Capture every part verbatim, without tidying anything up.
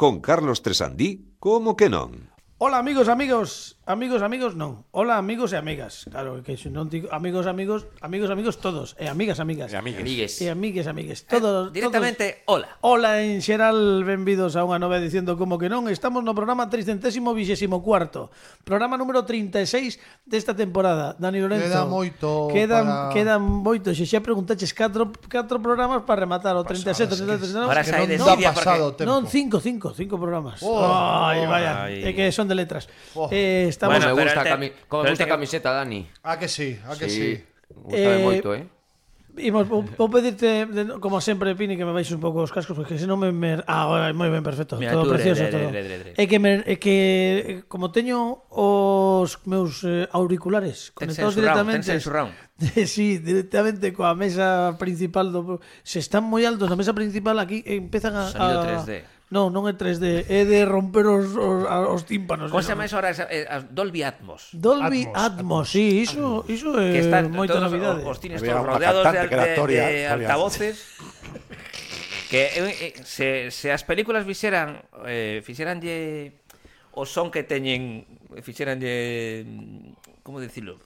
con Carlos Tresandí, como que non? Hola amigos, amigos, amigos, amigos, non. Hola amigos e amigas. Claro, que se non digo amigos, amigos, amigos, amigos todos, e amigas, amigas. E amigues. E amigues, amigues. Todos, eh, directamente, todos... hola. Hola en xeral, benvidos a unha nova edición do Como que non. Estamos no programa trescientos vinte e cuatro. Programa número trinta e seis desta temporada. Dani Lorenzo. Queda moito Quedan, para... quedan moito. Se xa preguntaches catro, catro programas para rematar o trinta e sete, trinta e oito, trinta e nove. Ahora que sai non de dá Siria pasado porque... tempo. Non, cinco, cinco, cinco programas. Oh, Ay, vaya, ay. é que son de letras. Oh. Eh, estamos Bueno, me pero gusta, el te- cami como pero me el gusta a te- camiseta, Dani. Ah, que sí, ah, que sí. Gusta Eh, moito, eh? Imos, vou, vou pedirte, de, como sempre, Pini, que me baixes un pouco os cascos, porque se non me... me ah, moi ben, perfecto. Mira, todo tú, precioso, dre, dre, todo. dre, dre, dre. É que, me, é que como teño os meus eh, auriculares Ten conectados censurado, directamente... ten censurado. Sí, directamente coa mesa principal do... Se están moi altos na mesa principal, aquí empezan a... Sonido a... tres D. Non, non é tres D, é de romper os, os, os tímpanos. Como se chama eso ahora? Esa- eh, as Dolby Atmos. Dolby Atmos, Atmos, sí, iso, iso é Que están moita todos novidade. os, os cines Había todos unha rodeados de, cantante que era de, Toria, de Toria. altavoces. Que eh, eh, se, se as películas fixeran eh, fixeranlle o son que teñen fixeranlle como dicilo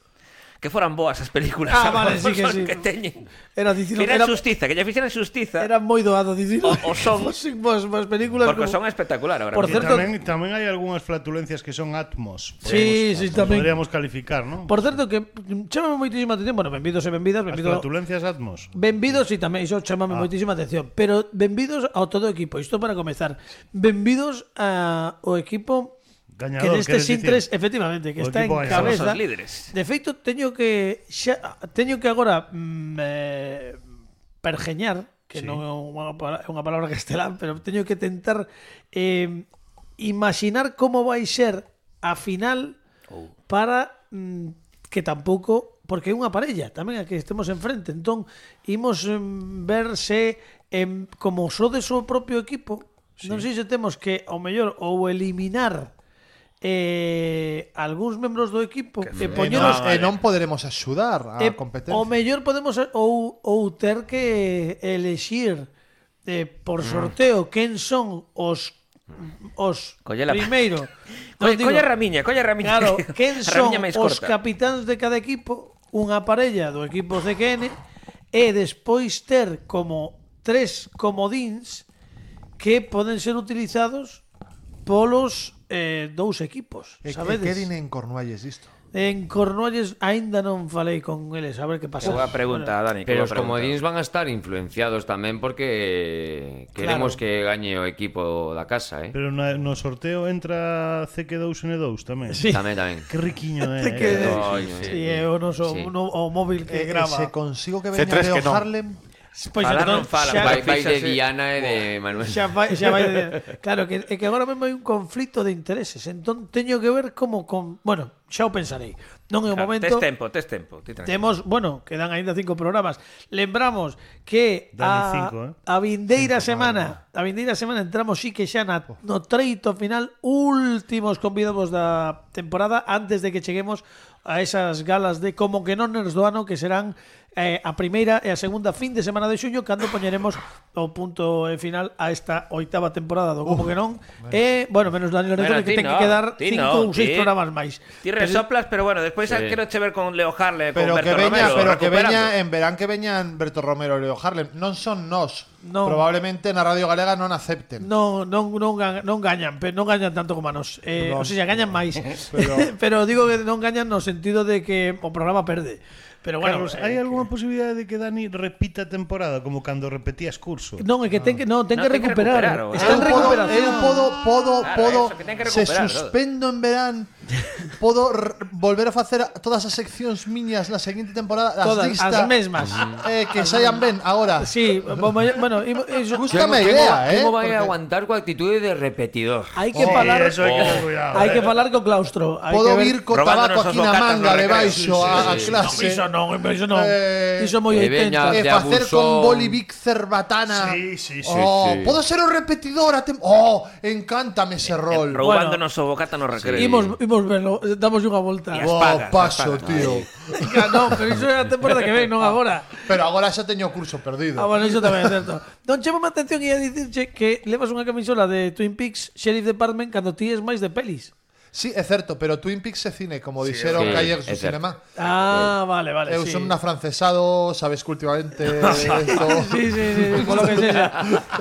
que foran boas as películas. Ah, vale, o sí que son sí. que teñen. Era dicilo, Fixeran era, xustiza, que lle fixeran xustiza. era moi doado dicilo. O- o son- Vos, vos películas Porque como... son espectacular ahora. Por mismo. Y certo- tamén, tamén hai algunhas flatulencias que son Atmos. Sí, sí, tamén. Podríamos calificar, ¿no? Por certo que chámame moitísima atención, bueno, benvidos e benvidas, As benvidos. flatulencias Atmos. Benvidos e tamén iso chámame Ah. moitísima atención, pero benvidos ao todo o equipo. Isto para comezar. Benvidos ao equipo que Gañador, nestes queres intres, dicir? efectivamente, que O está en equipo gañador. cabeza. Somos os líderes. De feito, teño que xa, teño que agora mm, eh, pergeñar, que Sí. non é unha, pa- é unha palabra castelán, pero teño que tentar eh, imaginar como vai ser a final Oh. para mm, que tampouco, porque é unha parella tamén a que estemos enfrente, entón imos em, ver se em, como sodes o propio equipo, sí. Non sei se temos que ao mellor ou eliminar eh, algúns membros do equipo e E poñeros non, e non poderemos axudar a e competencia. o mellor podemos ou, ou ter que elexir eh, por sorteo quen son os os Colle la- primeiro. Colle, Non digo- colle a ramiña, colle a ramiña. Claro, quen A son ramiña máis os corta. capitáns de cada equipo, unha parella do equipo C Q N e despois ter como tres comodíns que poden ser utilizados polos eh, dous equipos, E que sabedes? queden en Cornualles isto. En Cornualles aínda non falei con eles, a ver que pasa. Que boa pregunta, Dani. que Pero boa os pregunta. comodíns van a estar influenciados tamén porque queremos Claro. que gañe o equipo da casa, eh? Pero na, no sorteo entra C Q dous N dous tamén. Sí. Tamén, tamén. Que riquiño é. C Q N. eh. Ai, Sí, sí. é o noso Sí. no, o móvil que E, e grava. se consigo que C veña tres Leo que non. Harlem, Pois Falar entón, non falan, xa- Vai, vai de fíxase- Diana e de Manuel. Xa vai, xa vai de... Claro, que, é que agora mesmo hai un conflito de intereses. Entón teño que ver como con... Bueno, xa o pensarei. Non é o Claro, momento... tes tempo, tes tempo. Ti tranquilo. Temos, bueno, quedan aínda cinco programas. Lembramos que Dani, a, cinco, eh? a vindeira semana, a vindeira semana entramos sí que xa na, no treito final, últimos convidados da temporada antes de que cheguemos a esas galas de Como que non nos do ano, que serán eh, a primeira e a segunda fin de semana de xuño, cando poñeremos o punto final a esta oitava temporada do Como que non. E, bueno, menos Dani Lorenzo, Bueno, que ti ten no, que quedar ti cinco no, ou seis ti- programas máis. Ti resoplas, pero bueno, despois Sí. quero che ver con Leo Harle, con pero que Berto veña, Romero, pero que recuperando. veña en verán que veñan Berto Romero e Leo Harlem. Non son nós. Non. Probablemente na Radio Galega non acepten. Non, non, non, ga- non gañan, pero non gañan tanto como a nós. Eh, Non. o sea, gañan máis. Pero- pero digo que non gañan no sentido de que o programa perde. Pero bueno, Carlos, eh, hai algunha posibilidade de que Dani repita a temporada como cando repetías curso? non, é que ten que non, ten No, que ten que recuperar. recuperar, o- Está en Eu podo, recuperación. eu podo, podo, Claro, podo eso, que ten que se recuperar, todo. suspendo en verán, podo r- volver a facer todas as seccións miñas na seguinte temporada, as Todas lista, as mesmas. eh, que saian ben agora. Sí, bo- bueno, imo- iso- Gústame a Quen- idea, quen eh. o vai porque aguantar coa actitude de repetidor? hai que Sí, falar, eso hai que ter cuidado. hai eh. que falar co claustro. Hai Podo que ver- vir co Robándonos tabaco os aquí na bocatas manga no recreo. debaixo a, a sí, sí. clase. Iso non, iso non. Eh, Iso moi e oitenta. veña- E de facer con abusón. Bolivic cerbatana. Sí, sí, sí, Oh, sí. podo ser o repetidor a tem- Oh, encántame ese rol. Roubándonos o bocata no recreo. Imos, imos Imos verlo, damos unha volta. E as Boa, pagas, paso, as pagas. tío. Non, pero iso é a temporada que ven, non agora. Pero agora xa teño o curso perdido. Ah, bueno, iso tamén é certo. Non chama a atención e a dicirche que levas unha camisola de Twin Peaks Sheriff Department cando ti es máis de pelis. Sí, é certo, pero Twin Peaks é cine, como dixeron sí, que ayer é su certo. cinema. Ah, vale, vale, Eu sí. son un afrancesado, sabes que últimamente esto... Sí, sí, sí, por lo que sexa.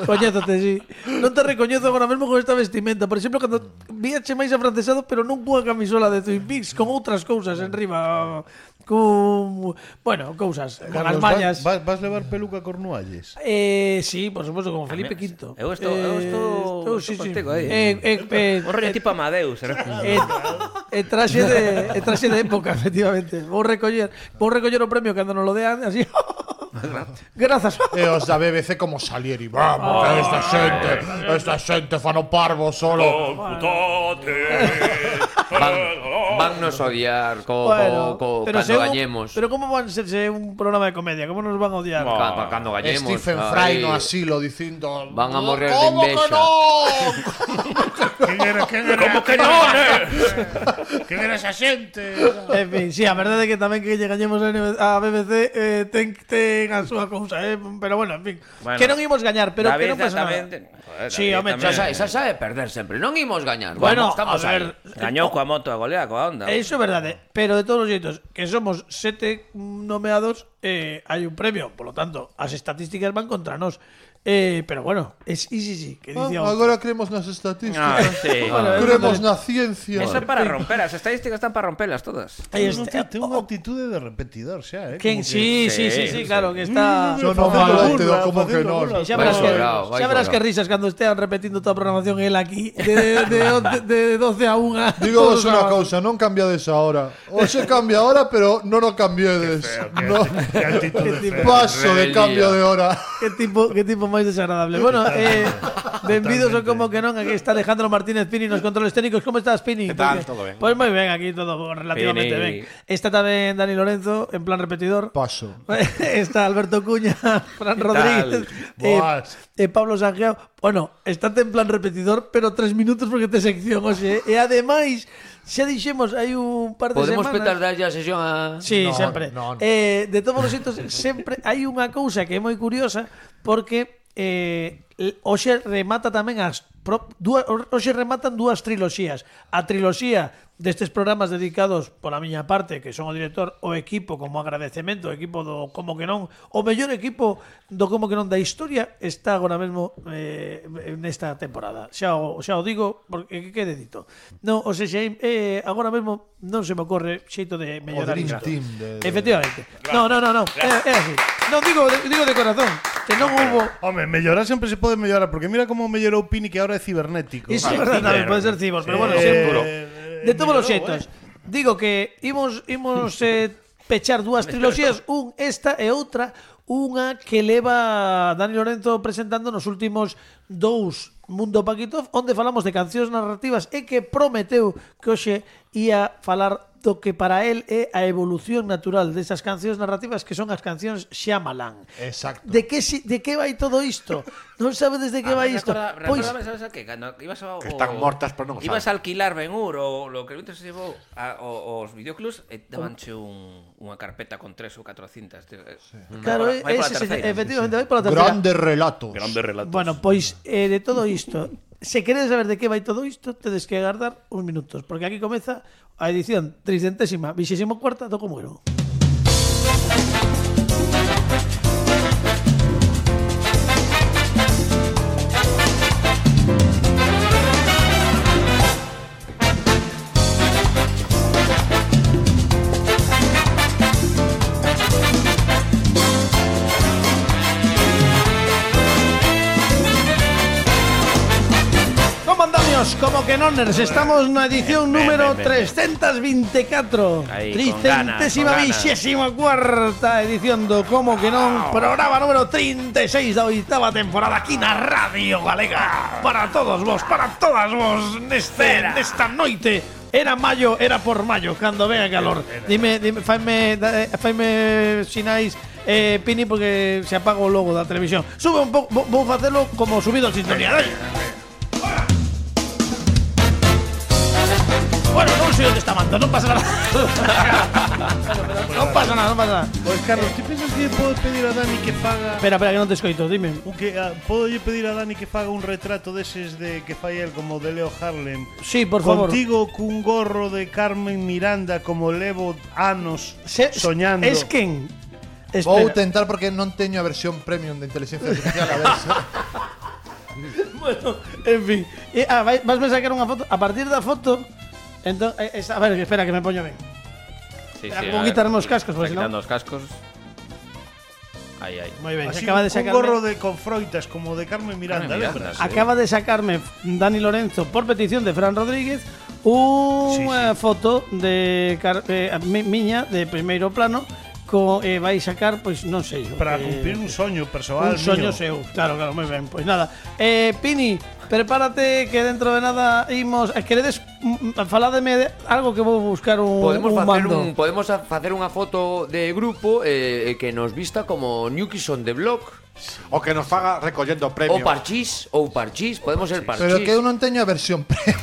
Coñézote, sí. Non te recoñezo agora mesmo con esta vestimenta. Por exemplo, cando víache máis afrancesado, pero non cunha camisola de Twin Peaks, con outras cousas en riba. Con, bueno, cousas, con as Carlos, mallas. vas, vas levar peluca Cornualles? Eh, sí, por supuesto, como Felipe quinto. Eu estou, eu estou, Eh, sí, estou sí. contigo aí. Eh, eh, eh, Un rollo tipo Amadeus, eh? Eh, eh, traxe de eh, traxe de época, efectivamente. Vou recoller, vou recoller o premio cando nos lo dean así. Grazas. E os da B B C como Salieri. Vamos, esta xente, esta xente fan o parvo solo. Van, van nos odiar co, Bueno, co, co, pero cando se un- gañemos. Pero como van a serse un programa de comedia? Como nos van a odiar? Ca- Cando gañemos. Stephen ay, Fry no asilo dicindo Van a morrer de "¿Cómo que envexa?" no? Quen era, quen era, Como que non, eh? quen era esa xente? En fin, sí, a verdade é que tamén que lle gañemos a B B C eh, ten, ten a súa cousa, eh? Pero bueno, en fin. Bueno, que non imos gañar, pero que David non pasa tamén nada. ten- joder, Sí, David home, tamén. Xa sabe, xa sabe perder sempre. Non imos gañar. Bueno, Vamos, estamos a ver, aí. Gañou coa moto a golea, coa onda. Iso é verdade, pero de todos os xeitos, que somos sete nomeados, eh, hai un premio, por lo tanto, as estatísticas van contra nós. Eh, pero bueno, es sí, sí, sí, que Ah, dicía agora creemos nas Ah, estadísticas. sí. Bueno, Creemos na ciencia. Eso é para romper, as estadísticas están para rompelas todas. Aí Ten está. ten unha actitude de repetidor xa, eh? Quen Como que- sí, sí, sí, sí, claro, que está Yo no Facendo malo te burla, do como que facendo non. burla. xa Vai verás, que, sobrao, vai xa verás sobrao. que risas cando estean repetindo toda a programación el aquí de, de, de, de doce a una. Digo todos vos os unha sábados. cousa, non cambiades ahora. O se cambia ahora, pero non o cambiedes. No, Que actitude Qué tipo- fea. paso de Rebeldía. cambio de hora. Qué tipo, qué tipo máis desagradable. Bueno, eh, benvidos ao como que non. Aquí está Alejandro Martínez Pini nos controles técnicos. ¿Cómo estás, Pini? ¿Qué tal? Porque- Todo ben. Pues moi ben, aquí todo relativamente Pini. ben. Está tamén Dani Lorenzo en plan repetidor. Paso. Está Alberto Cuña, Fran Rodríguez, eh, Boas. eh, Pablo Sanjeo. Bueno, estate en plan repetidor, pero tres minutos porque te sección, oxe. E ademais, xa dixemos, hai un par de Podemos semanas. petar darlle a sesión a... Sí, No, sempre. no, no. Eh, de todos os xeitos, sempre hai unha cousa que é moi curiosa porque eh, hoxe remata tamén as pro, dúas, hoxe rematan dúas triloxías. A triloxía destes programas dedicados pola miña parte, que son o director, o equipo como agradecemento, o equipo do Como que non, o mellor equipo do Como que non da historia está agora mesmo eh, nesta temporada. Xa o, xa o digo porque que quede dito. Non, o sea, xa, eh, agora mesmo non se me ocorre xeito de mellorar Dream isto. Team de- de- Efectivamente. No, no, no, no. É, é así. Non digo, digo de corazón, que non hubo. Home, mellorar sempre se pode mellorar, porque mira como mellorou Pini que ahora é cibernético. Iso é verdade, tamén pode ser cibos, pero bueno, Eh, sempre. De todos os mellorou, xeitos. Digo que imos imos eh, pechar dúas triloxías, un esta e outra, unha que leva Dani Lorenzo presentando nos últimos dous Mundo Paquitov, onde falamos de cancións narrativas e que prometeu que hoxe ia falar do que para él é a evolución natural desas cancións narrativas que son as cancións Shyamalan. Exacto. De que si, de que vai todo isto? Non sabedes de que vai isto? Pois, Pois sabes a que? Cando ibas ao, Que están mortas, pero non o ibas saben. a alquilar Ben-Hur ou lo que se llevou a, o, os videoclubs e dabanche un, unha carpeta con tres ou catro cintas. Tío. claro, Vai pola ese, terceira. efectivamente vai pola terceira. Grande relato. Grandes relatos. Bueno, pois eh, de todo isto, se queredes saber de que vai todo isto, tedes que agardar uns minutos, porque aquí comeza a edición tricentésima, vixésimo cuarta do Como Era. Como andamos? Como que noners, estamos na edición número trescentos veinticuatro, Aí, con tricentésima ganas, con ganas. vixésima cuarta edición do Como que non, programa número trinta e seis da oitava temporada aquí na Radio Galega. Para todos vos, para todas vos, neste, nesta noite. Era maio, era por maio, cando venga calor. Dime, dime, faime, da- eh, faime sinais, eh, Pini, porque se apaga o logo da televisión. Sube un pouco, vou- vou facelo como subido en sintonía. Dai. Bueno, non sei o foto, non pasa nada. Non pasa nada, non pasa nada. Pois, Carlos, ti pensas que podo pedir a Dani que faga... Espera, espera, que non te escoito, dime. Un que, ah, podo lle pedir a Dani que faga un retrato deses de que fai el como de Leo Harlem? Sí, por favor. Contigo cun gorro de Carmen Miranda como levo anos Se, soñando. Es quen? Vou Espera. tentar porque non teño a versión premium de inteligencia artificial, a ver se... Bueno, en fin. E, ah, vai- vas a sacar unha foto. A partir da foto, entón, eh, esa- a ver, espera que me poño ben. Sí, Espera, sí, como a ver. quitarme os cascos, porque Está senón- quitando os cascos. Aí, aí. Moi ben, Así acaba de un sacarme gorro de con froitas como de Carmen Miranda, Carmen lembras? Miranda, sí. Acaba de sacarme Dani Lorenzo por petición de Fran Rodríguez unha Sí, sí. foto de car- eh, mi- miña de primeiro plano co, eh, vai sacar, pois non sei Para eh, cumplir un soño persoal un soño mío. seu. Claro, claro, moi ben. Pois nada. Eh, Pini, prepárate que dentro de nada imos, eh, queredes mm, faládeme de algo que vou buscar un Podemos un facer mando. un podemos a- facer unha foto de grupo eh, que nos vista como New Kids on the Block. O que nos faga recollendo Ou premios. Parchís, ou Parchís, podemos ser Parchís. Pero que eu non teño a versión premium.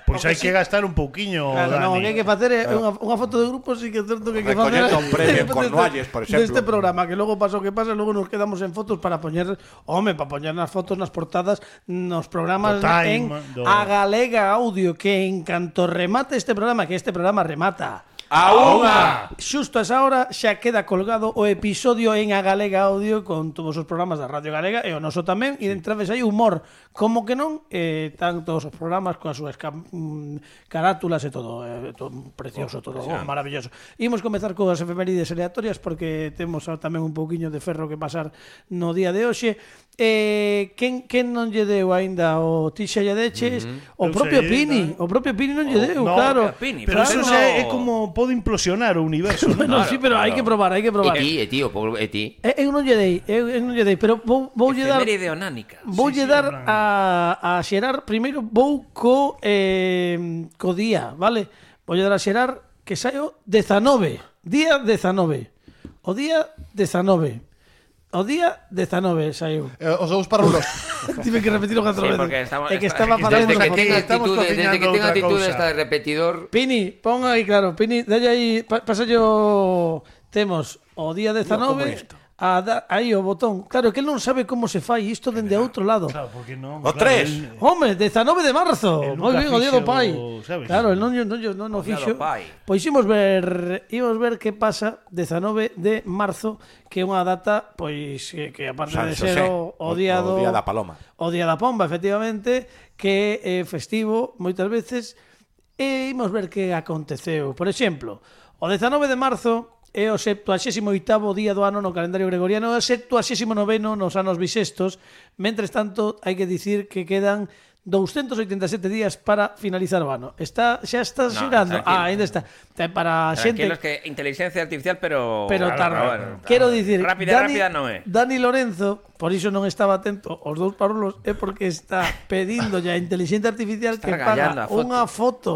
Pois hai que gastar un pouquiño, Claro, Dani. no, o que hai que facer é unha, unha foto de grupo, sí que é certo que hai que facer Recollendo un premio en deste- Cornualles, por exemplo. deste programa, que logo pasa o que pasa, logo nos quedamos en fotos para poñer, home, para poñer nas fotos nas portadas nos programas Do en Time, do- A Galega Audio, que en canto remate este programa, que este programa remata ¡A unha! xusto a esa hora xa queda colgado o episodio en A Galega Audio con todos os programas da Radio Galega e o noso tamén, e dentro vez hai humor, como que non, eh, tan todos os programas coas súas cam- mm, carátulas e todo, eh, todo precioso, todo oh, maravilloso. Imos comezar coas efemérides aleatorias porque temos tamén un pouquiño de ferro que pasar no día de hoxe. Eh, quen, quen non lle deu aínda o ti xa lle deches? O Eu propio sei, Pini, non? o propio Pini non lle deu, no, claro. Pini, Pero Claro, eso no. xa é como pode implosionar o universo, non? Bueno, sí, pero hai que probar, hai que E probar. ti, e ti, o pobre- e ti. Eh, eu non lle dei, eu, eu non lle dei, pero vou vou lle dar Efeméride onánica. vou lle dar a a Xerar primeiro vou co eh, co día, vale? Vou lle dar a Xerar que saio dezanove, día dezanove. O día dezanove. O día dezanove saiu. Eh, os dous parrulos. Tive que repetirlo catro Sí, veces. porque estamos- É que está- estaba aquí facendo Desde esa que foto. tenga estamos actitud, desde cociñando que tenga outra actitud cousa. esta de repetidor. Pini, pon aí, claro, Pini, dalle aí, pa, pasallo, temos o día dezanove, a da, aí o botón. Claro, que el non sabe como se fai isto dende outro lado. Claro, porque non. O claro, tres. el- Hombre, dezanove de marzo. El Moi nunca ben, o día do fixo, pai. sabes? Claro, el non, non, non, non o O día fixo. do pai. Pois imos ver, imos ver que pasa dezanove de marzo, que é unha data pois que, que aparte San de ser Xosé, o, o día do o día da paloma. O día da pomba, efectivamente, que é festivo moitas veces, e imos ver que aconteceu. Por exemplo, o dezanove de marzo é o septuagésimo oitavo día do ano no calendario gregoriano, e o septuagésimo noveno nos anos bisestos. Mentres tanto, hai que dicir que quedan doscientos oitenta e sete días para finalizar o ano. Está, xa está No, xerando. tranquilo. Ah, ainda está. Ten para a xente Tranquilos que inteligencia artificial, pero... pero Claro, tarda. bueno, Quero claro. dicir, Rápida, Dani, rápida non é. Dani Lorenzo, por iso non estaba atento aos dous parulos, é porque está pedindo ya a inteligencia artificial Está que regallando paga a foto. unha foto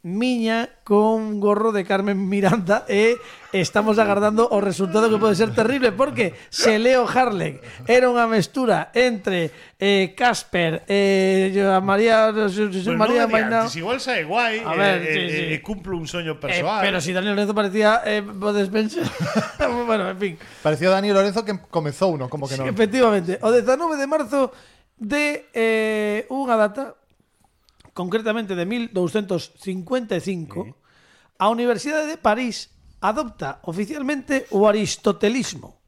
miña con un gorro de Carmen Miranda e estamos agardando o resultado que pode ser terrible porque se Leo Harlem era unha mestura entre eh, Casper e eh, María Pues María non Mainao. adiantes, igual sae guai A e, ver, e, sí, e, sí. e cumplo un soño Eh, persoal. pero si Dani Lorenzo parecía eh, podes pensar. Bueno, en fin. Pareció Dani Lorenzo que comezou uno, como que Sí, non. efectivamente, o dezanove de marzo de eh, unha data, concretamente de mil doscientos cincuenta e cinco, a Universidade de París adopta oficialmente o aristotelismo,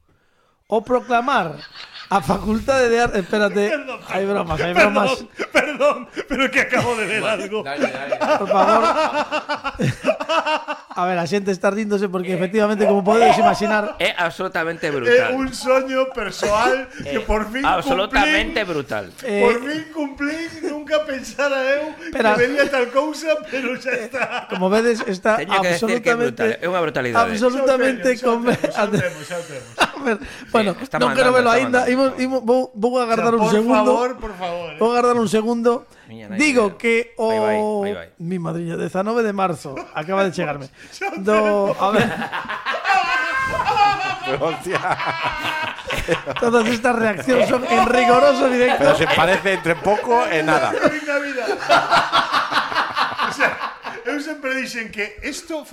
o proclamar a Facultade de Arte... Espérate, hai bromas, hai bromas. Perdón, perdón, pero que acabo de ver algo. Dale, dale. Por favor. A ver, a xente está ríndose porque efectivamente, como podedes imaginar, É absolutamente É brutal. un soño persoal que por fin Absolutamente cumplín. brutal. eh, Por fin cumplín, nunca pensara eu Espera. que vería tal cousa, pero xa está. como vedes, está Teño que decir que é absolutamente brutal, é unha brutalidade. absolutamente Xa o conven- temos, xa o temos, xa o temos. A ver, bueno, está non quero mandando, verlo está aínda. mandando. Imos, imos, vou, vou agardar O sea, un por segundo. favor, por favor. eh. Vou agardar un segundo. Miña nai, Digo mira. que o Aí vai, aí vai. mi madriña, dezanove de marzo, acaba de chegarme. Do, a ver, Hostia. todas estas reaccións son en rigoroso directo. Pero se parece entre poco e nada. Fin da vida. O sea, eu sempre dixen que isto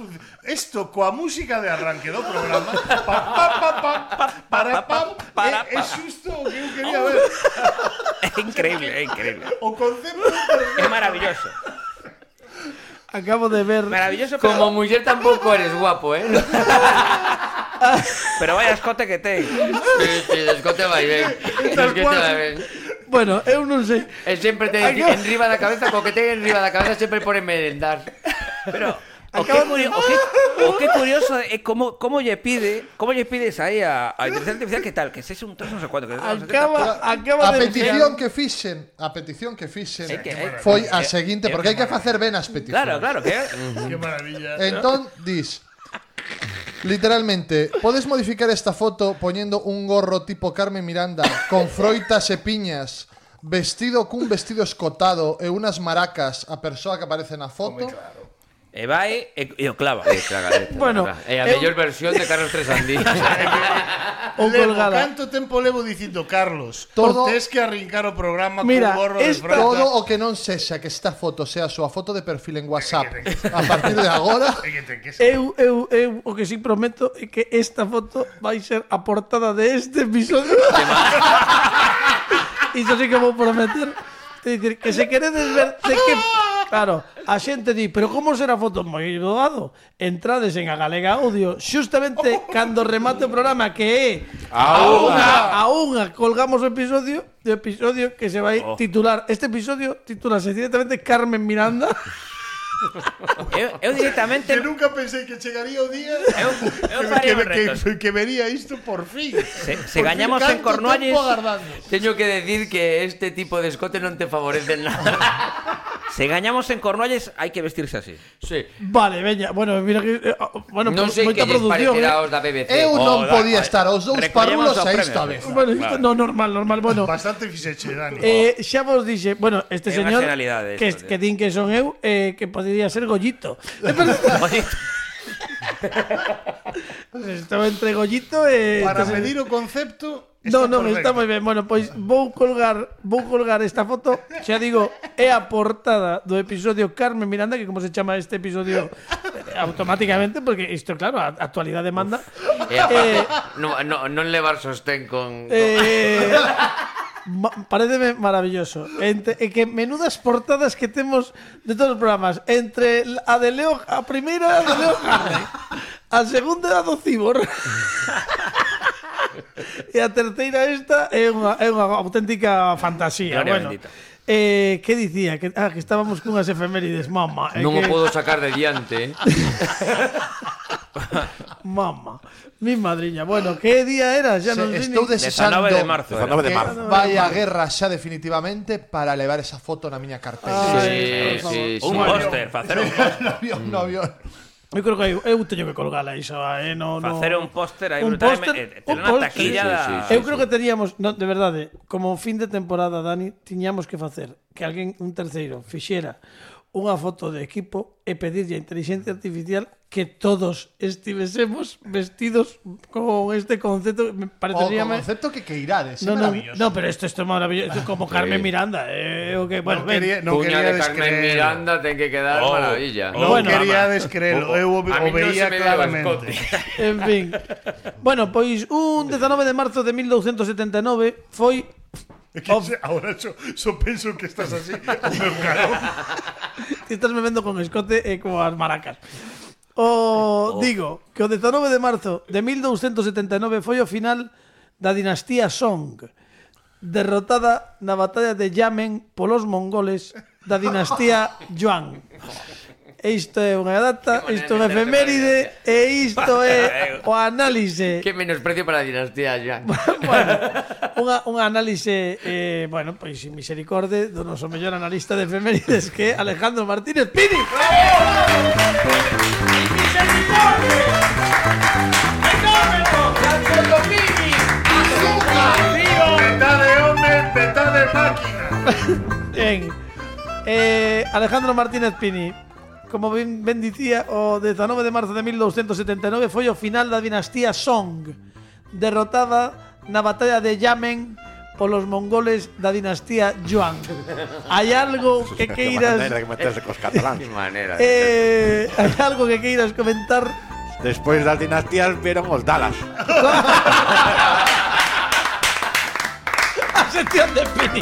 isto coa música de arranque do programa pa, pa, pa, pa, para pam é, é xusto o que eu quería ver. É increíble, é increíble. O concepto É maravilloso. Acabo de ver. Maravilloso, pero, Como muller tampouco eres guapo, eh? pero vaya escote que ten. Sí, sí, escote vai ben. Escote vai ben. Bueno, eu non sei. E sempre te Acabo- enriba da cabeza, co que ten enriba da cabeza sempre pone merendar. Pero o que, curio, o, que, o que curioso é como como lle pide, como lle pides aí a, a inteligencia artificial que tal, que sexe un tres non sei cuánto, que Acaba, acaba A de petición que fixen, a petición que fixen É que- é- foi a seguinte, porque hai que facer ben as peticións. Claro, claro, que Qué maravilla. Entón, dis literalmente, podes modificar esta foto poñendo un gorro tipo Carmen Miranda con froitas e piñas, vestido cun vestido escotado e unas maracas a persoa que aparece na foto. e vai e, e o clava. Eh, traga, eh, traga, Bueno, traga. É a eu- mellor versión de Carlos Tresandí. ou Levo, colgada. canto tempo levo dicindo, Carlos, Todo- tes que arrincar o programa Mira, con gorro de esta- franja. Todo o que non sexa que esta foto sea a súa foto de perfil en WhatsApp a partir de agora. É que ten que ser. Eu, eu, eu, o que sí prometo é que esta foto vai ser a portada de este episodio. Iso sí que vou prometer. É dicir, que se queredes ver de que... Claro, a xente di, pero como será a foto? Moi doado. Entrades en a Galega Audio xustamente cando remate o programa, que é a unha, a unha colgamos o episodio, o episodio que se vai titular. Este episodio titulase directamente Carmen Miranda. Eu, eu directamente Que nunca pensei que chegaría o día eu, eu que, faría que, un reto. que, que vería isto por fin. Se, se Por fin, gañamos en canto Cornualles, tempo agardando. Teño que decir que este tipo de escote non te favorece nada. se gañamos en Cornualles hai que vestirse así. Sí. Vale, veña, bueno, mira que eh, bueno, Non pues, sei moita que lles produción, parecerá eh. os da B B C. Eu non da- podía estar os dous recollemos parrulos o a esta premio. vez. Bueno, isto, no, normal, normal. Bueno, Bastante fixeche, Dani. eh, xa vos dixe, bueno, este É unha señor xenalidade que, esto, que din que son eu, eh, que podría ser Gollito. Oye, Estou entre Gollito e... Para este medir o concepto No, no, correcto. está moi ben. Bueno, pois vou colgar, vou colgar esta foto. Xa digo, é a portada do episodio Carmen Miranda, que como se chama este episodio eh, automáticamente, porque isto claro, a a actualidade manda. E aparte, Eh, no, no, non levar sostén con... Eh, ma- pareceme maravilloso. Entre, e que menudas portadas que temos de todos os programas. Entre a de Leo, a primeira a de Leo Harley, a segunda a do Cibor. E a terceira esta é unha, é unha auténtica fantasía. Gloria Bueno, bendita. eh, que dicía? Que, ah, que estábamos cunhas efemérides, mama. é Non o que, podo sacar de diante, eh? Mama, mi madriña. Bueno, que día era? Xa non sei Se, estou ni- desexando dezanove de marzo. dezanove de que marzo. vai a guerra xa definitivamente para levar esa foto na miña carpeta. Ay, Sí, por sí, sí. un póster, facer un No avión, no avión. Eu creo que eu, eu teño que colgala iso, eh, no, no. facer un póster aí Un brutal, póster, e- e ter un unha póster. taquilla Sí, sí, da... sí, sí. Eu creo que teríamos, no, de verdade, como fin de temporada, Dani, tiñamos que facer que alguén, un terceiro, fixera unha foto de equipo e pedirlle a inteligencia artificial que todos estivésemos vestidos con este concepto. Me O parecería... con concepto que que irades, No, é no, maravilloso. no, pero esto, esto es maravilloso. Esto es como Carmen Miranda. Eh, o que, bueno, Non ven. quería, non Cuña de quería Carmen descreerlo. Miranda ten que quedar Oh. maravilla. Non Bueno, quería mamá. descreerlo, eu o, A o mí non veía se me veo claramente. escote. En fin. Bueno, pois un dezanove de marzo de mil douscentos setenta e nove foi É que se- ahora só, só penso que estás así, o meu caro. Ti estás me vendo con escote e con as maracas. O digo que o dezanove de marzo de mil douscentos setenta e nove foi o final da dinastía Song, derrotada na batalla de Yamen polos mongoles da dinastía Yuan. E isto é unha data, isto é unha efeméride e isto é o análise. Que menosprecio para a dinastía ya. Bueno, unha, unha análise eh, bueno, pois sin misericorde do noso mellor analista de efemérides que é Alejandro Martínez Pini. Peta de home, peta de máquina. Ben, eh, Alejandro Martínez Pini, como ben, ben dicía, o dezanove de marzo de mil douscentos setenta e nove foi o final da dinastía Song, derrotada na batalla de Yamen polos mongoles da dinastía Yuan. Hai algo que Qué queiras manera de meterse cos cataláns. Qué manera. eh, hai algo que queiras comentar? Despois das dinastías vieron os Dallas. A sección de Pini.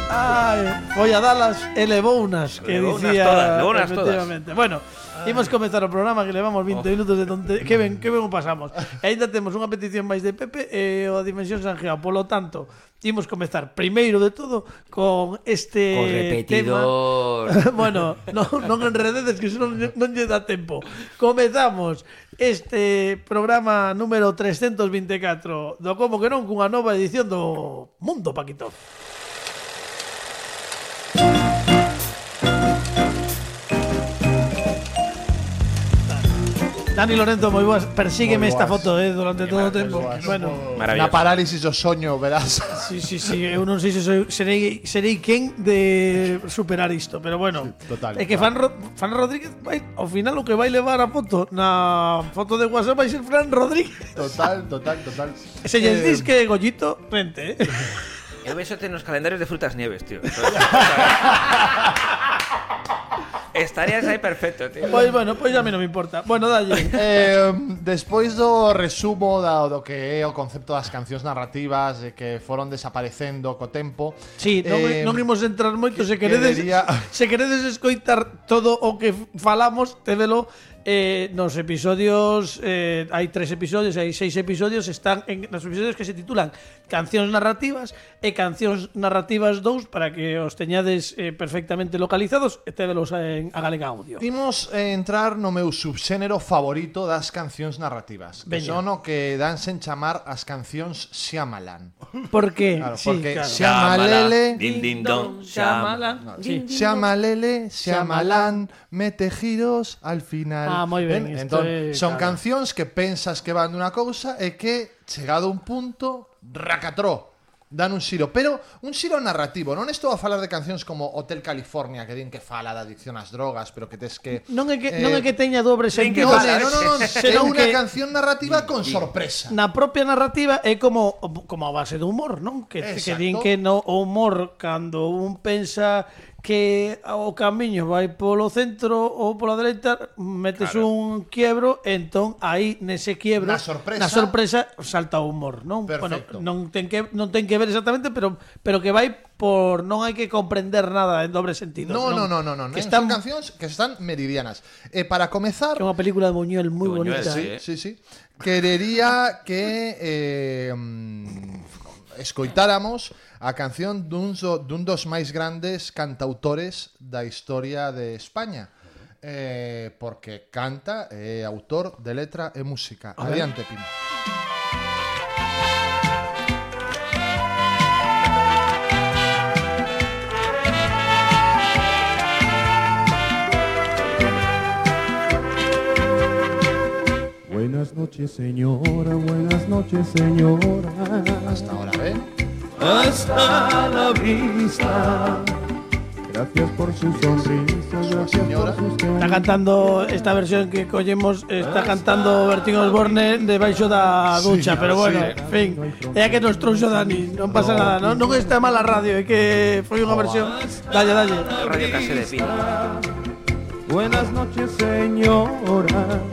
Ai, foi a Dallas e levounas, que Levounas dicía todas, levounas todas. efectivamente. Bueno, imos comezar o programa que levamos vinte minutos de tonte. Que ben, que ben o pasamos. E ainda temos unha petición máis de Pepe e o a Dimensión Sanjeao. Polo tanto, imos comezar primeiro de todo con este Con repetidor. tema. Bueno, non, non enrededes que non, non lle dá tempo. Comezamos este programa número trescentos veinticuatro do Como que non cunha nova edición do Mundo Paquito. Dani Lorenzo, moi boas. Persígueme Moi esta boas. foto eh, durante todo o tempo. boas. Bueno, Na Maravilloso. parálisis do soño, verás. sí, sí, sí. Eu non sei se soy, serei, serei quen de superar isto, pero bueno. Sí, total, É que Fran, Ro- Fran Rodríguez vai, ao final o que vai levar a foto na foto de WhatsApp vai ser Fran Rodríguez. Total, total, total. Se lles Eh, dis que Gollito, vente, eh. Eu vexote nos calendarios de frutas nieves, tío. Estarías aí perfecto, tío. Pois bueno, pois a mí non me importa. Bueno, dalle. Eh, despois do resumo da, do que é o concepto das cancións narrativas e que foron desaparecendo co tempo. Sí, non, eh, non imos entrar moito. Se que- queredes, querería- se queredes escoitar todo o que falamos, tévelo eh, nos episodios. Eh, hai tres episodios, hai seis episodios. Están en nos episodios que se titulan Cancións narrativas e Cancións narrativas dous, para que os teñades eh, perfectamente localizados e tévelos en a Galega Audio. Imos eh, entrar no meu subxénero favorito das cancións narrativas, que Veña. son o que danse en chamar as cancións Shyamalan. Por que? Claro, Sí, porque claro. Shyamalan, Din, din, don, Shyamalan. Sí. Shyamalan, Shyamalan, mete giros al final. Ah, moi ben, isto Entón, é, son claro. cancións que pensas que van dunha cousa e que, chegado a un punto, racatró, dan un xiro, pero un xiro narrativo. Non estou a falar de cancións como Hotel California, que din que fala da adicción ás drogas, pero que tes que... Non é que, eh, non é que teña dobre ten que sentido. No, pasa, no, no, no, no, é senón unha que- canción narrativa con sorpresa. Na propia narrativa é como como a base do humor, non? Que, que Exacto. din que no o humor cando un pensa que o camiño vai polo centro ou pola dereita, metes Claro. un quiebro, entón aí nese quiebro, Na sorpresa- na sorpresa salta o humor, non? Perfecto. Bueno, non ten que non ten que ver exactamente, pero pero que vai por non hai que comprender nada en dobre sentido. No, no, no, no, no, Que non, están son cancións que están meridianas. E para comezar, que é unha película de Buñuel moi Buñuel, bonita. sí. eh. sí, sí, querería que eh, mm, escoitáramos a canción dun, do, dun dos máis grandes cantautores da historia de España. Eh, porque canta, é autor de letra e música. Adiante, Pino. Buenas noches, señora, buenas noches, señora. Hasta ahora, ¿eh? Hasta la vista. Gracias por su sonrisa, gracias señora. por sus Está caricias. cantando esta versión que collemos, está cantando Bertín Osborne debaixo da ducha, pero bueno, en fin, é a que nos trouxo Dani, non pasa nada, non, non está mal a radio, é que foi unha versión. Dalle, dalle. El radio case de pino. Buenas noches, señora.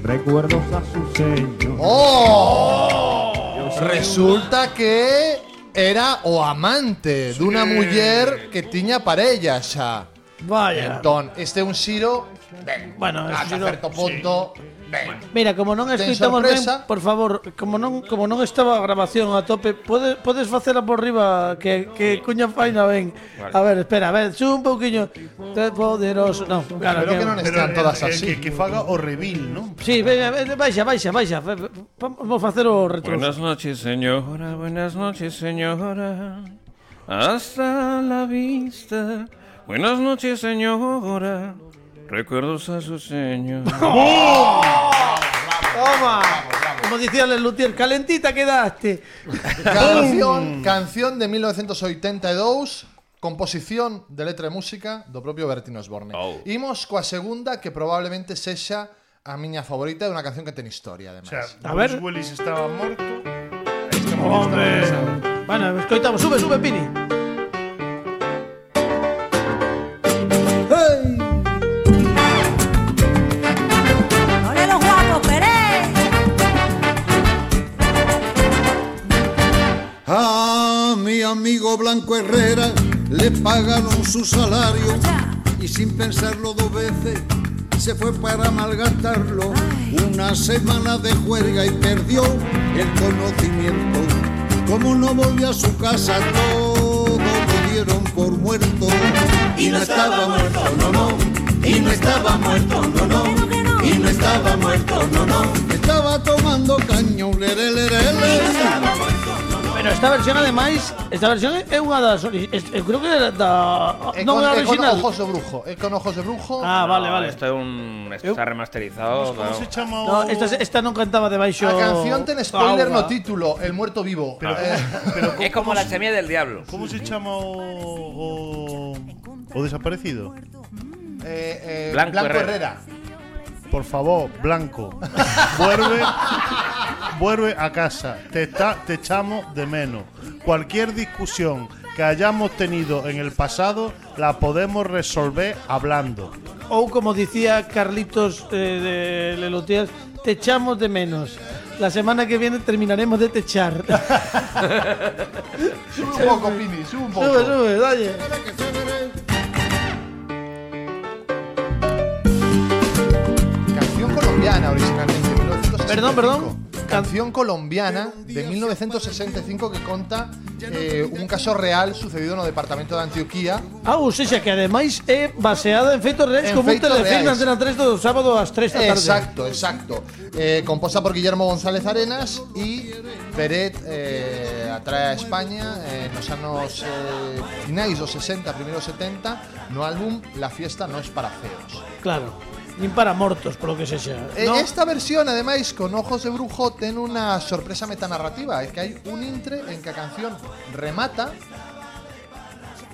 Recuerdos a su señor. ¡Oh! Resulta que era o amante dunha muller que tiña parella xa. Vaya. Entón, este é un xiro, ben, Bueno, ata xiro- certo punto, ben. Mira, como non Ten escoitamos ben, sorpresa. por favor, como non como non estaba a grabación a tope, podes podes facela por riba que que cuña faina ben. A ver, espera, a ver, sube un pouquiño. Te poderoso, no, claro Espero que non Pero estean todas eh, eh, así. que, que faga o reveal, ¿no? Sí, venga, venga, baixa, baixa, baixa. Fe- fe- Vamos facer o retro. Buenas noches, señora, buenas noches, señora. Hasta la vista. Buenas noches, señora. Recuerdos a su señor. Toma. Como dicía el Luthier, calentita quedaste. Canción, canción de mil novecientos oitenta e dous, composición de letra e música do propio Bertín Osborne. Oh. Imos coa segunda, que probablemente sexa a miña favorita, de unha canción que ten historia, O además. sea, A Bruce ver. Willis estaba morto. este Hombre. Bueno, escoitamos, sube, sube, Pini. Hey. ¡Ole los guapos, Pérez! A mi amigo Blanco Herrera le pagaron su salario y sin pensarlo dos veces se fue para malgastarlo. Una semana de juerga y perdió el conocimiento. Como no volvió a su casa, todo lo dieron por muerto. Y no estaba muerto, no, no. Y no estaba muerto, no, no. Y no estaba muerto, no, no. Estaba tomando caño, lere, lere, lere. Pero esta versión, ademais, esta versión é unha das ori- es- eu creo que era da É non con, é é con original. ojos de brujo. É con ojos de brujo. Ah, vale, vale. Esto é un... Esto está remasterizado. ¿Cómo claro. se chama o...? No, esta esta non cantaba debaixo. A canción ten spoiler auga. no título, El muerto vivo. Pero, Eh, pero É como la semilla del diablo. ¿Cómo se chama o, o, o desaparecido? eh, eh, Blanco Blanco, Herrera. Herrera. Por favor, Blanco, vuelve, vuelve a casa. Te, está, te echamos de menos. Cualquier discusión que hayamos tenido en el pasado la podemos resolver hablando. Ou como dicía Carlitos eh, de Lelotías, te echamos de menos. La semana que viene terminaremos de techar. Sube un poco, Pini, sube un poco. Sube, sube, dale. Canción colombiana originalmente, mil novecientos sesenta y cinco. Perdón, perdón. Canción colombiana de mil novecientos sesenta y cinco que conta eh, un caso real sucedido no departamento de Antioquía. Ah, ou seja, que ademais é baseada en feitos reais En como un feitos telefilm reais. na Antena tres do sábado ás tres da tarde. Exacto, exacto. Eh, composta por Guillermo González Arenas y Peret eh, atrae a España eh, nos anos eh, finais dos sesenta, primeiros setenta, no álbum La fiesta no es para feos. Claro. Nin para mortos, polo que sexa. Eh, ¿no? Esta versión, ademais, con ojos de brujo, ten unha sorpresa metanarrativa. É que hai un intre en que a canción remata.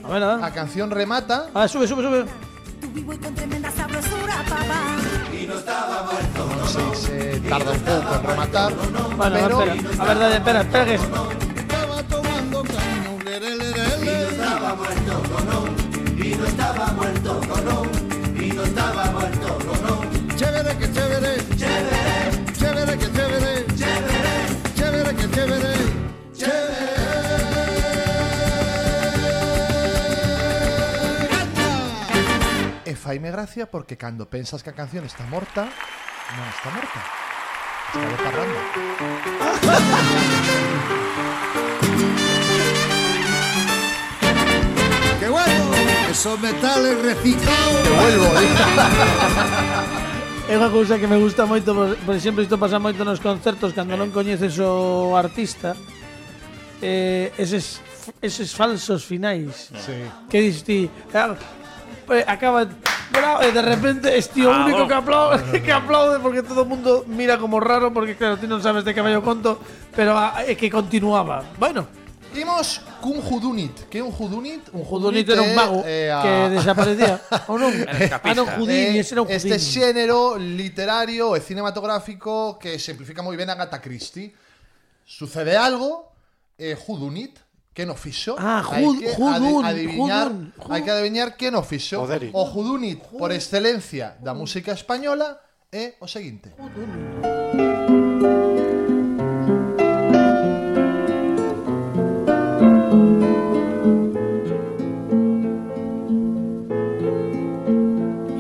A ver, a ver. A canción remata. Ah, sube, sube, sube. Tu vivo y con tremenda sabrosura, papá. Non sei se tarda un pouco en rematar. Bueno, pero espera. A ver, dale, espera, espera que... Estaba tomando caño, lere, lere, lere. Y no estaba muerto, no, no. Y no estaba muerto, no, no. Y no estaba muerto, no, no. Chévere que chévere. Chévere. Chévere que chévere. Chévere. Chévere que chévere. Chévere. E faime gracia porque cando pensas que a canción está morta, non está morta. Está botarrando. ¡Qué bueno! Esos metales reciclados. Te vuelvo, eh. É unha cousa que me gusta moito, por, por exemplo, isto pasa moito nos concertos cando non coñeces o artista. Eh, eses, eses falsos finais. Sí. Que dis ti, ah, eh, acaba bravo, e de repente este o Ah, único bueno. que aplaude, que aplaude porque todo o mundo mira como raro porque claro, ti non sabes de que vai o conto, pero ah, é que continuaba. Bueno, Imos cun Judunit. Que é un Judunit? un Judunit era un mago é, eh, a- que desaparecía, ou non? Era Ah, non, escapista. Houdini, Eh, ese era un este Houdini. xénero literario e cinematográfico que simplifica moi ben a Agatha Christie. Sucede algo, eh, Judunit, que no fixo. Ah, Hai Jud- que Judun, ade- adiviñar, Judun, Jud- hai que adiviñar que no fixo. Joderi. O Judunit, por excelencia da música española, é o seguinte.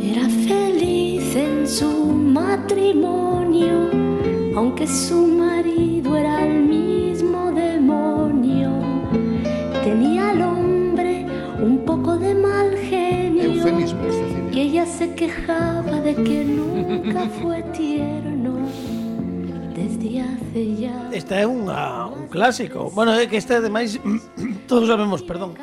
Era feliz en su matrimonio, aunque su marido era el mismo demonio. Tenía al hombre un poco de mal genio, Eufemismo, es decir. y ella se quejaba de que nunca fue tierno desde hace ya. Esta é unha, un clásico. Bueno, é que esta ademais todos sabemos, perdón,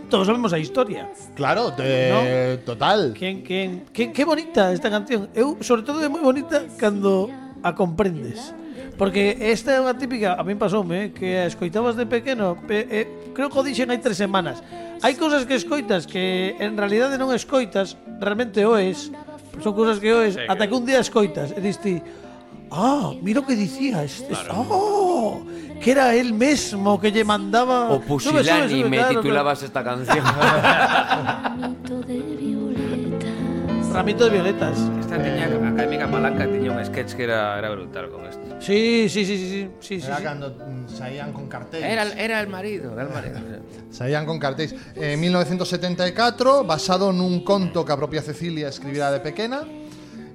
todos sabemos a historia. Claro, de, total. Quen, quen, que, que bonita esta canción. Eu, sobre todo, é moi bonita cando a comprendes. Porque esta é unha típica, a min pasoume, eh, que a escoitabas de pequeno, pe, eh, creo que o dixen hai tres semanas. Hai cousas que escoitas que en realidade non escoitas, realmente oes, son cousas que oes, Sí, ata que un día escoitas e diste, ah, mira o que dicía este. Claro. Oh, que era él mesmo que lle mandaba O Pusilani me claro, titulabas esta canción. Ramito de violetas. Ramito de violetas. Esta tiña, Académica Palanca tiña un sketch que era, era brutal con esto. Sí, sí, sí, sí, sí, sí, sí, Era sí. cando mm, saían con cartéis. Era, era el marido, era el marido. Saían con cartéis. En mil novecientos setenta e catro, basado nun conto que a propia Cecilia escribira de pequena,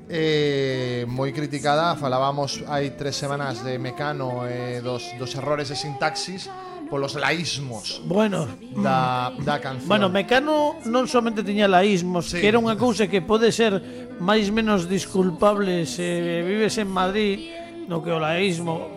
eh, moi criticada, falábamos hai tres semanas de Mecano e eh, dos, dos errores de sintaxis polos laísmos Bueno, da, da canción. Bueno, Mecano non somente tiña laísmos, Sí. que era unha cousa que pode ser máis menos disculpable se vives en Madrid, no que o laísmo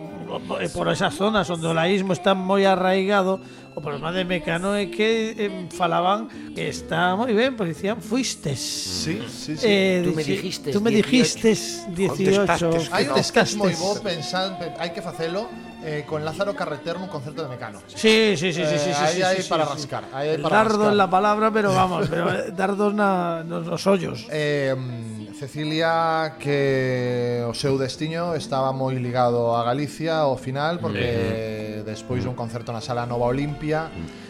e por esas zonas onde o laísmo está moi arraigado. O problema de Mecano é que eh, falaban que está moi ben, porque dicían fuistes. Sí, sí, sí. Eh, Tú me dici- dijiste Tú me dijiste dieciocho. Contestastes Hai un sketch moi Contestastes. bo pensando, hai que facelo eh, con Lázaro Carreter nun concerto de Mecano. Sí, sí, sí, sí, sí, Eh, sí, aí sí, hai sí, para sí. rascar, aí hai El para dardo rascar. en la palabra, pero vamos, pero eh, dardos na, nos, nos hoyos. Eh, Cecilia, que o seu destiño estaba moi ligado a Galicia ao final, porque despois dun concerto na Sala Nova Olimpia,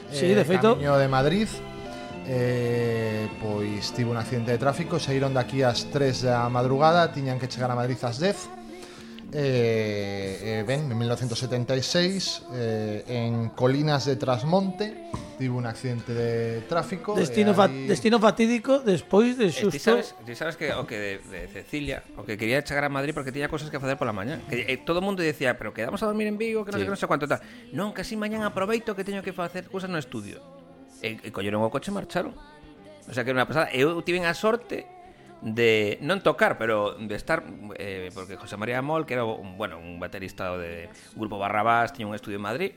Sí, de feito. camiño de Madrid, eh, pois tivo un accidente de tráfico, saíron daqui ás tres da madrugada, tiñan que chegar a Madrid ás dez. Eh, eh, ben, en mil novecientos setenta e seis, eh, en Colinas de Trasmonte, tivo un accidente de tráfico. Destino, e fa aí- destino fatídico despois de Eh, ti xusto. sabes, ti sabes que o que de, de Cecilia, o que quería chegar a Madrid porque tiña cosas que facer pola mañá. Que eh, todo o mundo decía, pero quedamos a dormir en Vigo, que non sei Sí. que non sei cuánto tal. Non, que así mañán aproveito que teño que facer cousas no estudio. E, e colleron o coche e marcharon. O sea que era unha pasada. Eu tiven a sorte de non tocar, pero de estar eh, porque José María Mol, que era un, bueno, un baterista de grupo Barrabás, tiña un estudio en Madrid,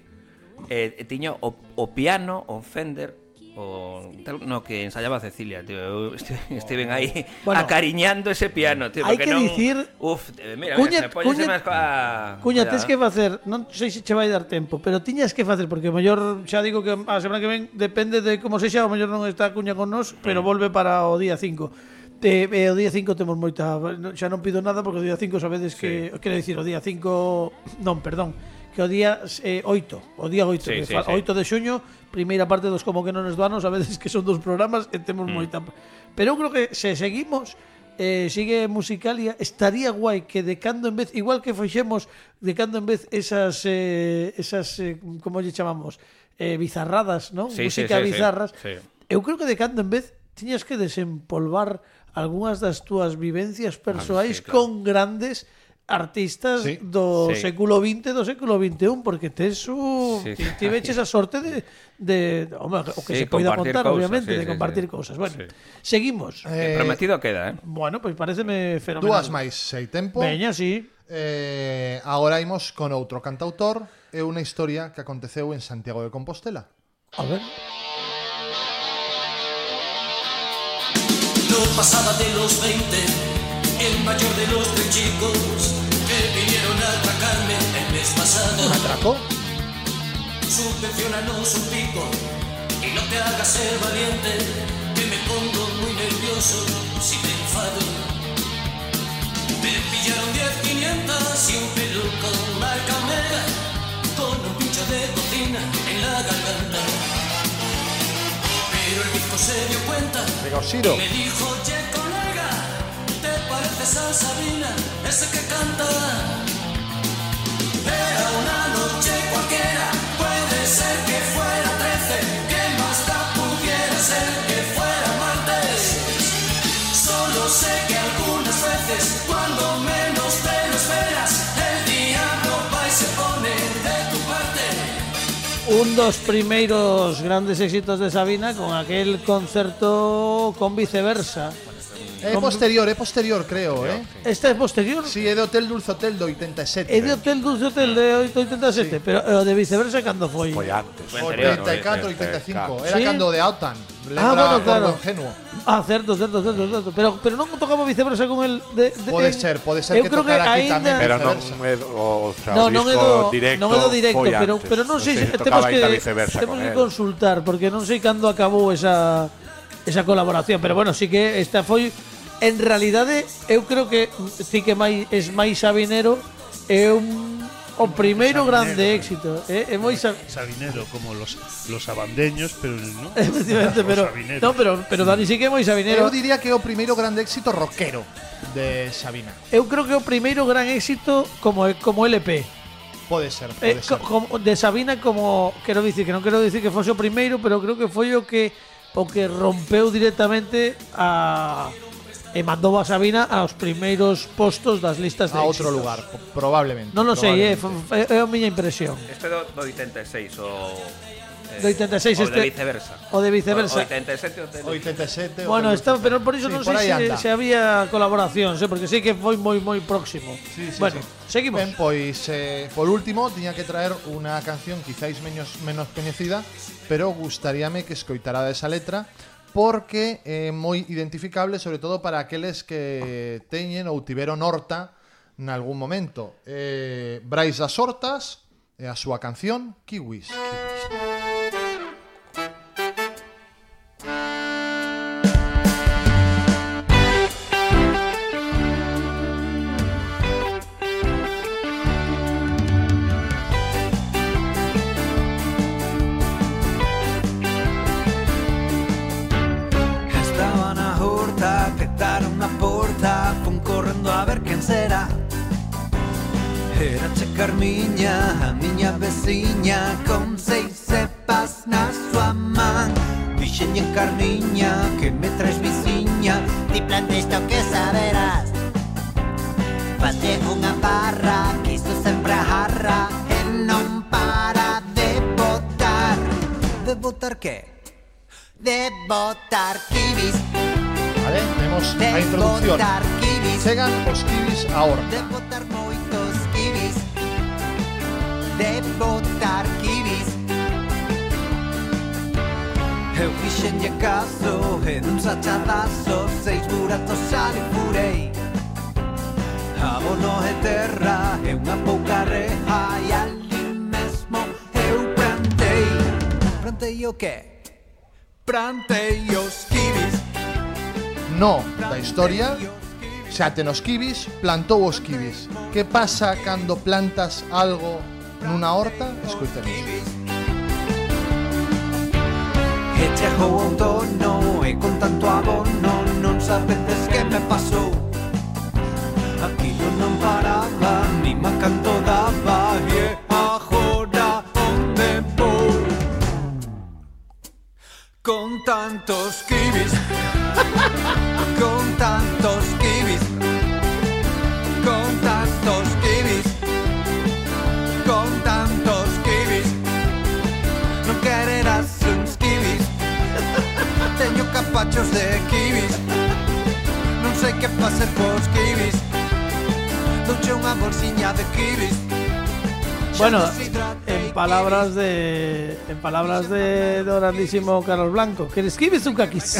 eh, e tiña o, o piano, o Fender, o tal, no que ensayaba Cecilia, tío. Eu estive, estiven aí Bueno, acariñando ese piano, tío, hai porque que non, dicir- uf, eh, mira, Cuña- mira, se poñese Cuña- máis coa Cuña, coa- tes que facer, non sei se che vai dar tempo, pero tiñas que facer, porque o mellor xa digo que a semana que ven depende de como sexa, o mellor non está Cuña con nós, pero volve para o día cinco. E, e o día cinco temos moita, xa non pido nada porque o día cinco sabedes que, quero dicir, o día cinco, non, perdón, que o día eh, oito, o día oito, Sí, que sí, fa- sí. oito de xuño, primeira parte dos Como que non nos do ano, sabedes que son dos programas e temos Mm. moita. Pero eu creo que se seguimos eh, sigue Musicalia, estaría guai que de cando en vez, igual que fixemos de cando en vez esas eh, esas eh, como lle chamamos, eh, bizarradas, ¿no? Sí, sí, Música sí, sí, bizarras. sí. Eu creo que de cando en vez tiñas que desempolvar algunhas das túas vivencias persoais Ah, sí, claro. con grandes artistas Sí. do Sí. século vinte, do século vinte e un, porque tes un, Sí, ti, sí. ti veches a sorte de, de home, o que Sí, se poida compartir contar, cousas, obviamente, sí, de sí, compartir sí. cousas. Bueno, Sí. seguimos. Eh, Eh, prometido queda, eh. Bueno, pois pareceme fenomenal. Dúas máis, se hai tempo. Veña, sí. Eh, agora imos con outro cantautor e unha historia que aconteceu en Santiago de Compostela. A ver. No pasaba de los veinte, el mayor de los tres chicos que vinieron a atracarme el mes pasado. ¿Un atraco? Subvencionanos un pico y no te hagas ser valiente, que me pongo muy nervioso si me enfado. Me pillaron diez quinientas y un peluco marca Omega con un pincho de cocina en la garganta. Pero el bizco se dio cuenta Venga, Osiro. y me dijo, oye colega, ¿te pareces a Sabina, ese que canta? Era una noche cualquiera, puede ser que fuera trece, que más da pudiera ser que fuera martes. Solo sé que algunas veces, cuando menos te lo esperas, el diablo va y se pone de tu parte. Un dos primeiros grandes éxitos de Sabina con aquel concerto con Viceversa. É posterior, é posterior, creo, eh? Este é posterior? Si, sí, é de Hotel Dulce Hotel do oitenta e sete. É de Hotel Dulce Hotel de oitenta e sete, sí. Pero o de Viceversa cando foi? Foi antes. oitenta e catro, oitenta e cinco. Era Sí? cando de Autan. Ah, bueno, claro. Ingenuo. Ah, certo, certo, certo, certo. Pero, pero non tocaba Viceversa con el de, de, Pode en- ser, pode ser eu que creo tocara aquí aínda- tamén. Pero non Viceversa. é do, o, sea, No, o non é disco do directo, non é do directo, foi pero antes. pero non sei se se temos tocaba que ainda Viceversa temos con que él. consultar porque non sei cando acabou esa esa colaboración, pero bueno, sí que esta foi en realidade eu creo que sí que máis es máis sabinero é un o primeiro Sabinero, grande éxito, eh, é moi sab... Sabinero, como los, los abandeños, pero no. Efectivamente, Os pero sabineros. no, pero pero Dani sí que é moi sabinero. Eu diría que é o primeiro grande éxito rockero de Sabina. Eu creo que é o primeiro gran éxito como como L P. Pode ser, Eh, pode ser. co- como de Sabina como quero dicir que non quero dicir que fose o primeiro, pero creo que foi o que o que rompeu directamente a e mandou a Sabina aos primeiros postos das listas de A outro éxitos. lugar, po- probablemente. Non o sei, é, probablemente. é a miña impresión. Este do, do oitenta e seis o eh, Do oitenta e seis o este- de viceversa. o de viceversa. O oitenta e sete o de oitenta e sete. Bueno, o está, pero por iso Sí, non por sei aí se, anda. se había colaboracións, eh, porque sí que foi moi moi próximo. Sí, sí, bueno, sí. seguimos. Ben, pois, eh, por último, tiña que traer unha canción quizáis menos, menos coñecida, pero gustaríame que escoitara esa letra, porque é moi identificable, sobre todo para aqueles que teñen ou tiveron horta nalgún momento. Eh, Brais das Hortas e a súa canción Kiwis. Estaba na horta, petaron na porta, fun correndo a ver quen será. Era che Carmiña, a miña veciña, con seis cepas na súa man. Dixenlle Carmiña, que me traes viciña, ti plantes isto que saberás. Falle unha barra, quiso sempre a jarra, e non para de botar. De botar que? De botar kiwis. Vale, temos a De introducción. botar kiwis. Chegan os kiwis a horta. De botar moitos kiwis. De botar kiwis. Eu fixenlle caso e dun sachadazo seis buratos xa le furei. Abono e terra e unha pouca reja e ali mesmo eu plantei. Plantei o que? Plantei os kiwis. No da historia, xa ten os kiwis, plantou os kiwis. Que pasa cando plantas algo nunha horta? Escoitemos. E chegou o outono e con tanto abono non sabedes que me pasou. Aquilo non paraba, ni má canto daba e agora onde vou? Con tantos kiwis, con tantos kiwis, con tantos kiwis, con tantos kiwis. Non quererás uns kiwis. Teño capachos de kiwis. Non sei que facer cos kiwis. Douche unha bolsiña de kiwis. Bueno, en palabras de en palabras de do grandísimo Carlos Blanco, que escribes un caquis.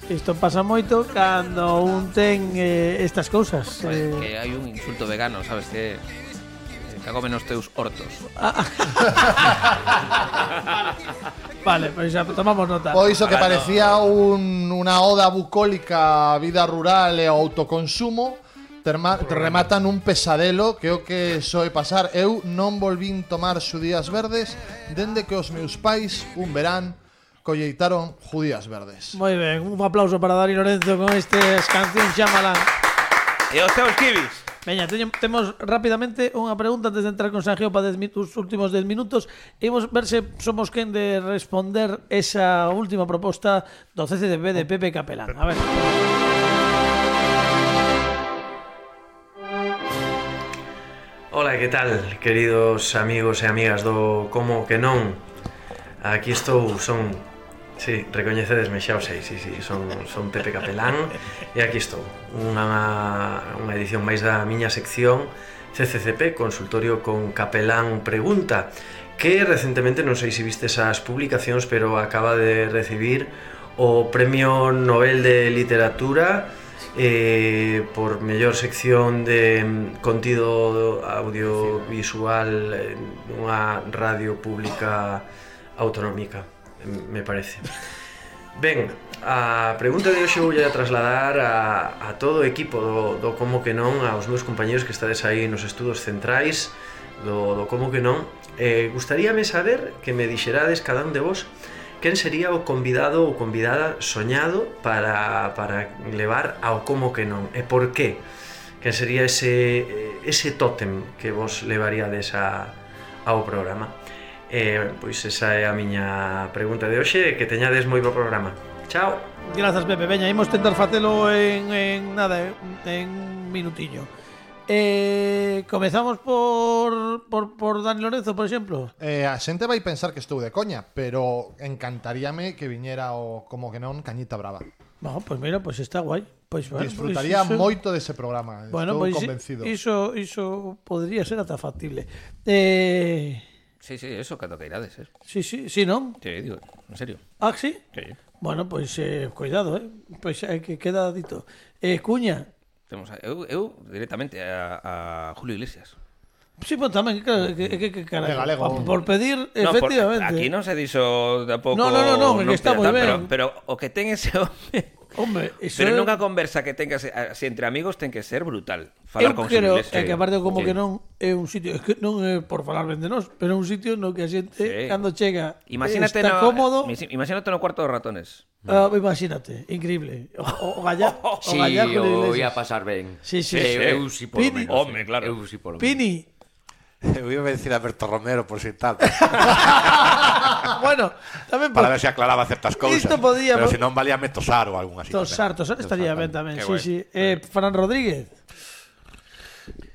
Isto pasa moito cando un ten eh, estas cousas. Vale, Eh, que hai un insulto vegano, sabes que cago menos teus hortos. vale, pois xa tomamos nota. Pois o que Ahora parecía un, unha oda bucólica á vida rural e ao autoconsumo terma, remata nun pesadelo que é o que soe pasar. Eu non volvín tomar xudías verdes dende que os meus pais un verán colleitaron judías verdes. Moi ben, un aplauso para Dani Lorenzo con estas cancións Xamalán. E os teus kiwis? Veña, teño, temos rapidamente unha pregunta antes de entrar con Sergio para dez, os últimos dez minutos. Imos ver se somos quen de responder esa última proposta do C C D B de Pepe Capelán. A ver. Ola, que tal, queridos amigos e amigas do Como que non? Aquí estou, son... Sí, recoñecedesme, xa o sei, sí, sí, son, son Pepe Capelán e aquí estou, unha, unha edición máis da miña sección C C C P, Consultorio con Capelán Pregunta, que recentemente, non sei se viste esas publicacións, pero acaba de recibir o Premio Nobel de Literatura eh, por mellor sección de contido audiovisual nunha radio pública autonómica, me parece. Ben, a pregunta de hoxe vou a trasladar a, a todo o equipo do, do Como que non, aos meus compañeros que estades aí nos estudos centrais do, do Como que non. Eh, gustaríame saber que me dixerades cada un de vos quen sería o convidado ou convidada soñado para, para levar ao Como que non, e por qué? Quen sería ese, ese tótem que vos levaríades a, ao programa? Eh, pois esa é a miña pregunta de hoxe, que teñades moi bo programa. Chao. Grazas, Pepe. Veña, imos tentar facelo en, en nada, en un minutiño. Eh, comezamos por, por, por Dani Lorenzo, por exemplo. Eh, a xente vai pensar que estou de coña, pero encantaríame que viñera o Como que non Cañita Brava. No, pues mira, pues está guai. Pues, bueno, Disfrutaría pues, iso... moito dese programa. Bueno, estou pues, convencido. Iso, iso podría ser ata factible. Eh... Sí, sí, eso, cando que irades, eh. Sí, sí, sí, non? Sí, digo, en serio. Ah, sí? Sí. Bueno, pois, pues, eh, cuidado, eh. Pois pues, eh, que queda dito. Eh, Cuña. Temos a, eu, eu directamente a, a Julio Iglesias. Sí, pues tamén, claro, que, que, que cara, de galego. Por, por pedir, No, efectivamente. por, aquí non se dixo tampouco. No, no, no, no, que está moi pero, ben. pero o que ten ese home. Hombre, eso pero é... nunha conversa que tenga así entre amigos ten que ser brutal. Falar Eu con creo Julio Iglesias. é que aparte como Sí. que non é un sitio, é que non é por falar ben de nós, pero é un sitio no que a xente Sí. cando chega Imagínate está no, cómodo. Imagínate no cuarto de ratones. Ah, imagínate, increíble. O, o galla, o Sí, galla con o Iglesias. ia pasar ben. Sí, sí, Eh, sí. Eu si por lo Pini. menos. Home, claro. Eu si por lo menos. Pini. Eu iba a decir a Berto Romero por sin tal. Bueno, tamén Para ver se aclaraba certas cousas. Isto podía- Pero se non valía me tosar ou algún así. Tosar, tosar estaría ben tamén. Qué Sí, guai. sí. Eh, Fran Rodríguez.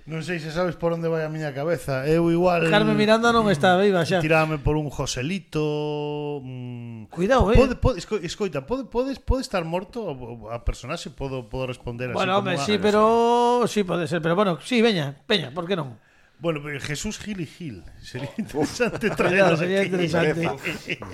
Non sei se sabes por onde vai a miña cabeza. Eu igual... Carmen Miranda non está viva xa. Tirame por un Joselito... Mm, Cuidado, eh. Pode, pode, esco, escoita, pode, pode, pode estar morto o- a personaxe? Podo, podo responder así Bueno, como hombre, a- sí, pero sí pode ser, pero bueno, sí, veña, veña, por que non? Bueno, pero Jesús Gil y Gil. Sería interesante Cuidado, traerlo sería aquí. interesante.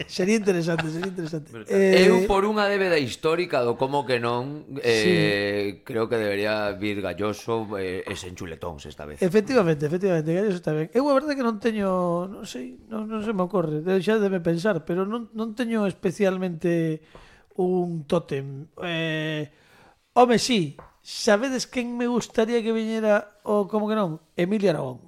Sería interesante, sería interesante. Eh, Eu por unha débeda histórica do Como que non, eh, creo que debería vir Galloso eh, e sen chuletóns esta vez. Efectivamente, efectivamente, que eso está ben. Eu a verdade que non teño, non sei, non, non se me ocorre, xa debe pensar, pero non, non teño especialmente un tótem. Eh, home, sí, sabedes quen me gustaría que viñera o Como que non? Emilio Aragón.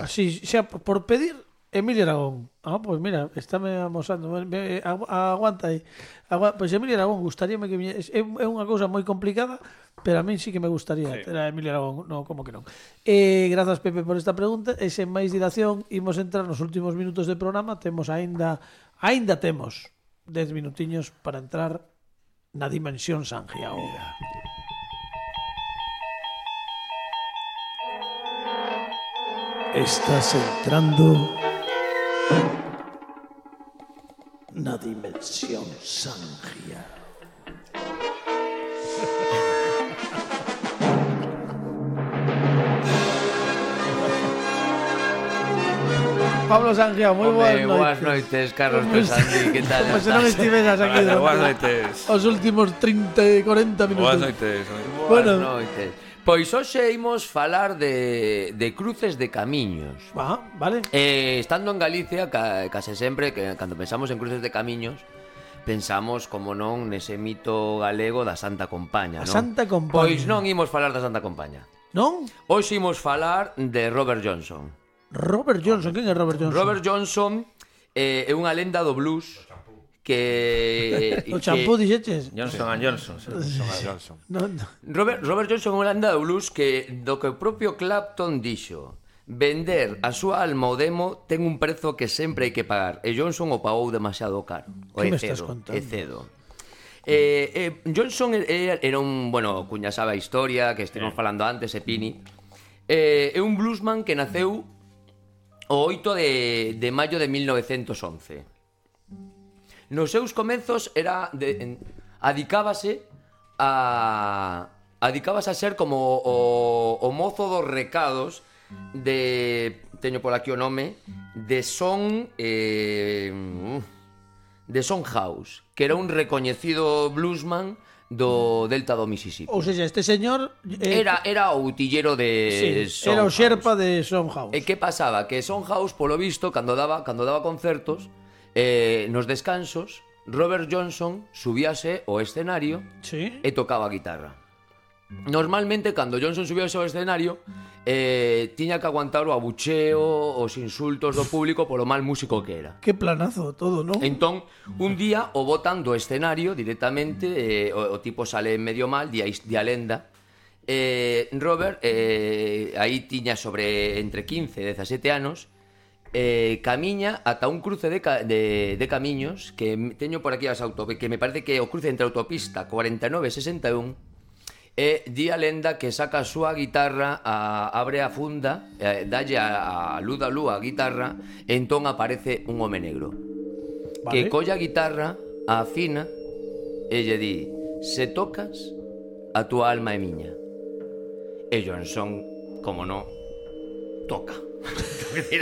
Así, xa, por pedir Emilio Aragón. Ah, pues mira, estáme amosando. Me- me- agu- Aguanta aí. Agua, pues Emilio Aragón, gustaríame que viñera. É é unha cousa moi complicada, pero a mí sí que me gustaría ter a Emilio Aragón. No, como que non. Eh, grazas, Pepe, por esta pregunta. E sen máis dilación, imos entrar nos últimos minutos de programa. Temos aínda, aínda temos dez minutiños para entrar na dimensión Sangiao. Estás entrando na dimensión Sangia. Pablo Sangia, moi boas Home, noites. boas noites, Carlos Como se- Pesandi, que tal Como se non estás? estiveras aquí Boas durante noites. os últimos trinta e corenta minutos. Boas noites. Boas Bueno. noites. Pois hoxe imos falar de, de cruces de camiños. Ah, vale. Eh, estando en Galicia, ca, case sempre, que cando pensamos en cruces de camiños, pensamos, como non, nese mito galego da Santa Compaña, A non? Santa Compaña. Pois non imos falar da Santa Compaña. Non? Hoxe imos falar de Robert Johnson. Robert Johnson, quen é Robert Johnson? Robert Johnson eh, é unha lenda do blues que... O champú dixeches? Johnson and Johnson. Johnson. No, no. Robert, Robert Johnson é unha lenda do blues que do que o propio Clapton dixo: vender a súa alma ao demo ten un prezo que sempre hai que pagar, e Johnson o pagou demasiado caro. O Que é me estás cedo, contando? é cedo. Eh, eh, Johnson era, era un, bueno, cuña sabe a historia que estivemos falando antes, e Pini. Eh, é un bluesman que naceu o oito de, de maio de mil novecentos once. Nos seus comezos era de, en, adicábase a adicábase a ser como o, o mozo dos recados de, teño por aquí o nome, de Son eh, de Son House, que era un recoñecido bluesman do delta do Mississippi. Ou seja, este señor eh, Era era o utillero de sí, era o Son xerpa de Son House. E que pasaba? Que Son House, polo visto, cando daba, cando daba concertos, eh, nos descansos, Robert Johnson subíase ao escenario Sí. e tocaba a guitarra. normalmente, cando Johnson subía ao escenario, eh, tiña que aguantar o abucheo, os insultos do público polo mal músico que era. Que planazo todo, non? Entón, un día o botan do escenario directamente, eh, o, o tipo sale medio mal, di a, di a lenda. Eh, Robert, eh, aí tiña sobre entre quince e dezasete anos, eh, camiña ata un cruce de, ca, de, de camiños que teño por aquí as auto, que me parece que o cruce entre autopista cuarenta e nove e sesenta e un. E di a lenda que saca a súa guitarra, a, abre a funda, eh, dalle a, a luz da lúa a guitarra, e entón aparece un home negro. Vale. Que colla a guitarra, a afina, e lle di: se tocas, a túa alma é miña. E Johnson, como no, toca.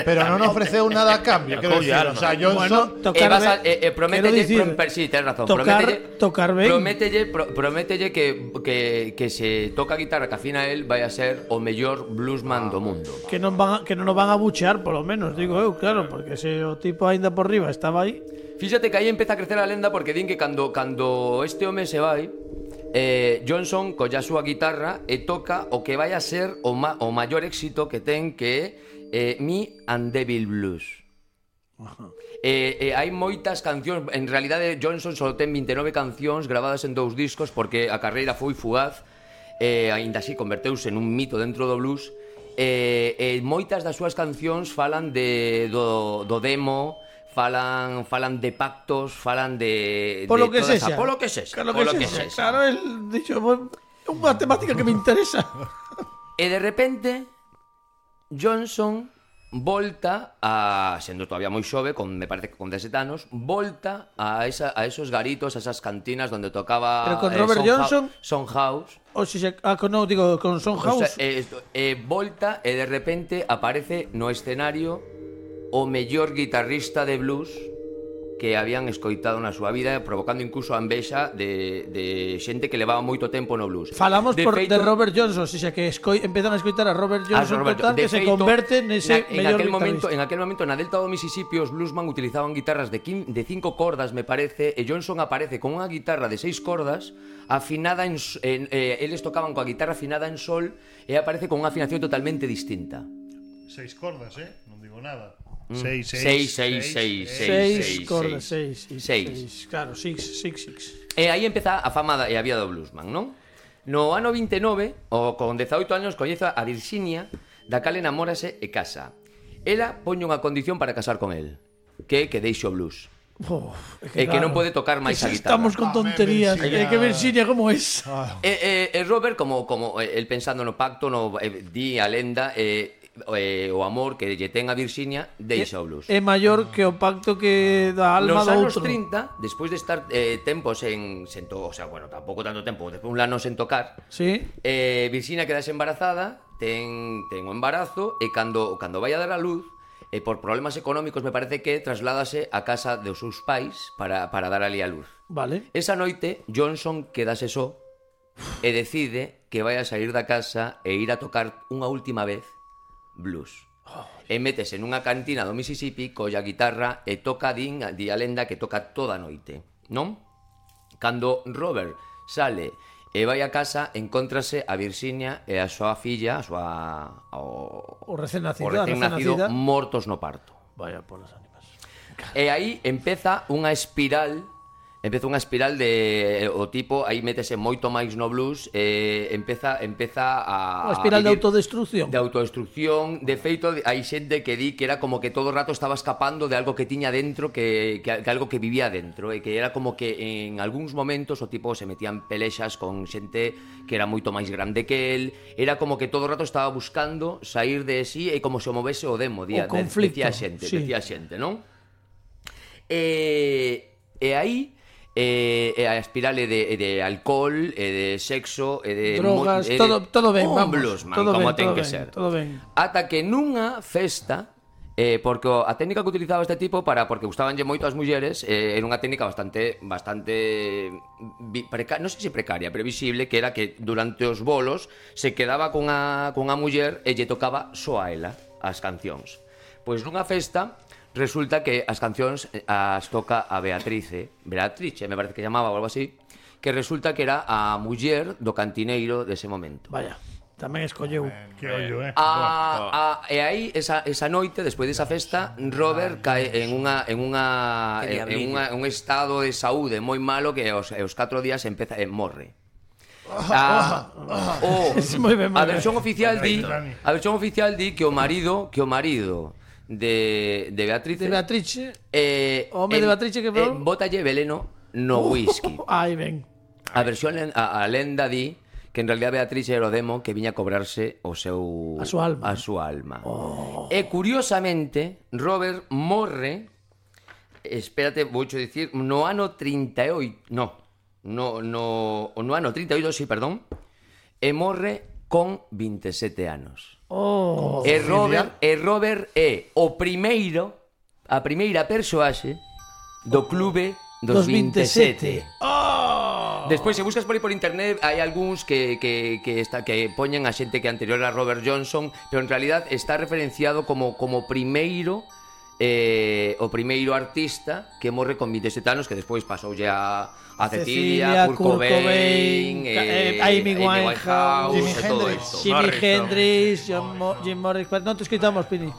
Pero non ofreceu nada a cambio, quero dicir, o sea, Johnson bueno, tocar e vas a, e, e promételle, decir, prom, sí, tens razón, tocar, promételle, tocar ben. promételle, pro, promételle que, que, que se toca a guitarra que afina él vai a ser o mellor bluesman do mundo. Que non van a, que non o van a buchear, polo menos, digo eu, claro, porque se o tipo aínda por riba estaba aí. Fíxate que aí empeza a crecer a lenda porque din que cando, cando este home se vai, eh, Johnson colla a súa guitarra e toca o que vai a ser o, ma, o maior éxito que ten, que é eh, Me and Devil Blues. Eh, eh, hai moitas cancións. En realidade Johnson só ten vinte e nove cancións gravadas en dous discos, porque a carreira foi fugaz. eh, Ainda así converteuse en un mito dentro do blues. eh, eh, Moitas das súas cancións falan de, do, do demo, Falan, falan de pactos, falan de... Polo de que toda sexa. esa, polo que sexa. Claro polo que que sexa. sexa. Claro, el dixo, é unha temática que me interesa. E de repente Johnson volta a, sendo todavía moi xove, con, me parece que con dezasete anos, volta a, esa, a esos garitos, a esas cantinas donde tocaba Pero con Robert eh, Johnson? Soundhouse. O si se, ah, con, no, digo, con Soundhouse. O sea, eh, eh, volta e de repente aparece no escenario o mellor guitarrista de blues que habían escoitado na súa vida, provocando incluso a envexa de, de xente que levaba moito tempo no blues. Falamos de por, feito, de Robert Johnson, o sea, que escoi, empezan a escoitar a Robert Johnson, a Robert, total, de que se feito, converte nese na, en mellor aquel momento, guitarrista. en aquel momento na delta do Mississippi os bluesman utilizaban guitarras de, quin, de cinco cordas, me parece, e Johnson aparece con unha guitarra de seis cordas afinada en, en eh, eles tocaban coa guitarra afinada en sol e aparece con unha afinación totalmente distinta. Seis cordas, eh? Non digo nada. Mm. Seis, seis, seis, seis, seis, Seis seis, cordas, seis, seis, seis. seis. Claro, six, six, six. E aí empeza a fama da, e a vida do bluesman, non? No ano vinte e nove, o con dezaoito anos, coñece a Virginia, da cal enamórase e casa. Ela poñe unha condición para casar con el, que é que deixe o blues. Oh, e que, que non pode tocar máis a guitarra. Estamos con tonterías. É que Virginia como es. E, e, e Robert, como, como el pensando no pacto, no, eh, di a lenda, eh, eh, o amor que lle ten a Virginia, deixa o blues. É maior que o pacto que da alma Nos do anos outro. trinta, despois de estar eh, tempos en, sen to, o sea, bueno, tampouco tanto tempo, despois un ano sen tocar, sí. eh, Virginia quedase embarazada, ten, ten o embarazo, e cando, cando vai a dar a luz, e por problemas económicos me parece que trasládase a casa dos seus pais para, para dar ali a luz. Vale. Esa noite Johnson quedase só e decide que vai a sair da casa e ir a tocar unha última vez blues. Oh. E métese nunha cantina do Mississippi colla guitarra e toca din, di a lenda que toca toda a noite, non? Cando Robert sale e vai a casa, encóntrase a Virginia e a súa filla, a súa o, o recén nacido, o recén nacido nacida. mortos no parto. Vaya polas ánimas. E aí empeza unha espiral, empeza unha espiral de o tipo, aí métese moito máis no blues, e empeza empeza a Unha espiral a de autodestrucción. De autodestrucción, de feito hai xente que di que era como que todo o rato estaba escapando de algo que tiña dentro, que, que, que algo que vivía dentro, e que era como que en algúns momentos o tipo se metían pelexas con xente que era moito máis grande que el, era como que todo o rato estaba buscando sair de sí e como se o movese o demo, día, o conflicto, decía xente, sí. decía xente, non? E, e aí e, e a espiral é de, de alcohol, e de sexo, e de drogas, mo, e todo, de, todo ben, un vamos, bluesman, todo como ben, ten todo que ben, ser. todo ben. Ata que nunha festa, eh, porque a técnica que utilizaba este tipo para porque gustabanlle moito as mulleres, eh, era unha técnica bastante bastante precaria, non sei se precaria, pero visible, que era que durante os bolos se quedaba con a con a muller e lle tocaba só a ela as cancións. Pois nunha festa resulta que as cancións as toca a Beatrice, Beatrice, me parece que llamaba ou algo así, que resulta que era a muller do cantineiro dese momento. Vaya, tamén escolleu. Que ollo, eh. A, a, e aí, esa, esa noite, despois desa festa, Robert cae en unha en unha Que en, en diablillo. unha, un estado de saúde moi malo que aos, aos catro días empeza e morre. A, o, Moi ben, moi a versión ben. oficial di, a versión oficial di que o marido, que o marido de de Beatriz, De Beatrice, eh, o home de Beatrice que eh, falou? bótalle veneno no whisky. Ai, ben. A versión len- a, a lenda di que en realidad Beatriz era o demo que viña a cobrarse o seu A súa alma. a súa alma. Oh. E curiosamente, Robert morre, espérate, voucho dicir, no ano trinta e oito, no, no no no ano trinta e oito, sí, perdón, e morre con vinte e sete anos. Oh. E Robert, e Robert é o primeiro, a primeira persoaxe do clube dos, Dos vinte e sete. vinte e sete. Oh. Despois, se buscas por aí por internet, hai algúns que, que, que, está, que poñen a xente que anterior a Robert Johnson, pero en realidad está referenciado como, como primeiro eh, o primeiro artista que morre con vinte e sete anos, que despois pasoulle a, a Cecilia, Kurt Cobain, eh, Amy Winehouse, Jimi e todo Hendrix. isto. Jimi Morrison. Hendrix, John Mo- Jim Morris. Non te escoitamos, Pini.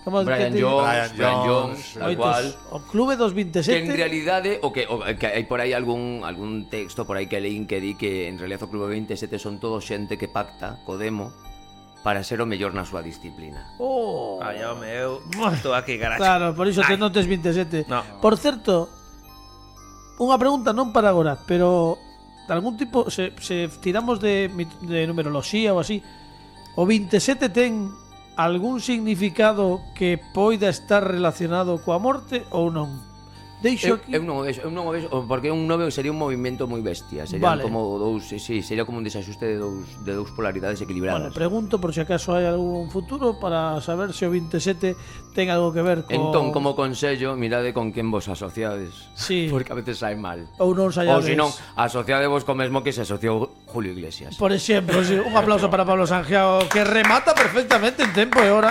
Como Brian que te- Jones, Brian Brian Jones, Jones, tal Oitos. cual. O clube dos vinte e Que en sete. realidade o que, o, que hai por aí algún algún texto por aí que leín que di que en realidad o Clube vinte e sete son todo xente que pacta co demo para ser o mellor na súa disciplina. Oh. Ai, home, eu estou aquí, garacho. Claro, por iso te non tes vinte e sete. No. Por certo, unha pregunta non para agora, pero de algún tipo, se, se tiramos de, mit- de numeroloxía ou así, o vinte e sete ten algún significado que poida estar relacionado coa morte ou non? Deixo Eu, aquí. eu non o vexo, eu non o vexo, porque un nove sería un movimento moi bestia, serían Vale. como dous, sí, sí, sería como un desaxuste de dous de dous polaridades Bueno, equilibradas. pregunto por si acaso hai algún futuro para saber se o vinte e sete ten algo que ver co... Entón, como consello, mirade con quen vos asociades. Sí. Porque a veces sai mal. Ou non Ou saibades. se non, asociadevos co mesmo que se asociou Julio Iglesias. Por exemplo, sí, un aplauso para Pablo Sangiao, que remata perfectamente en tempo e hora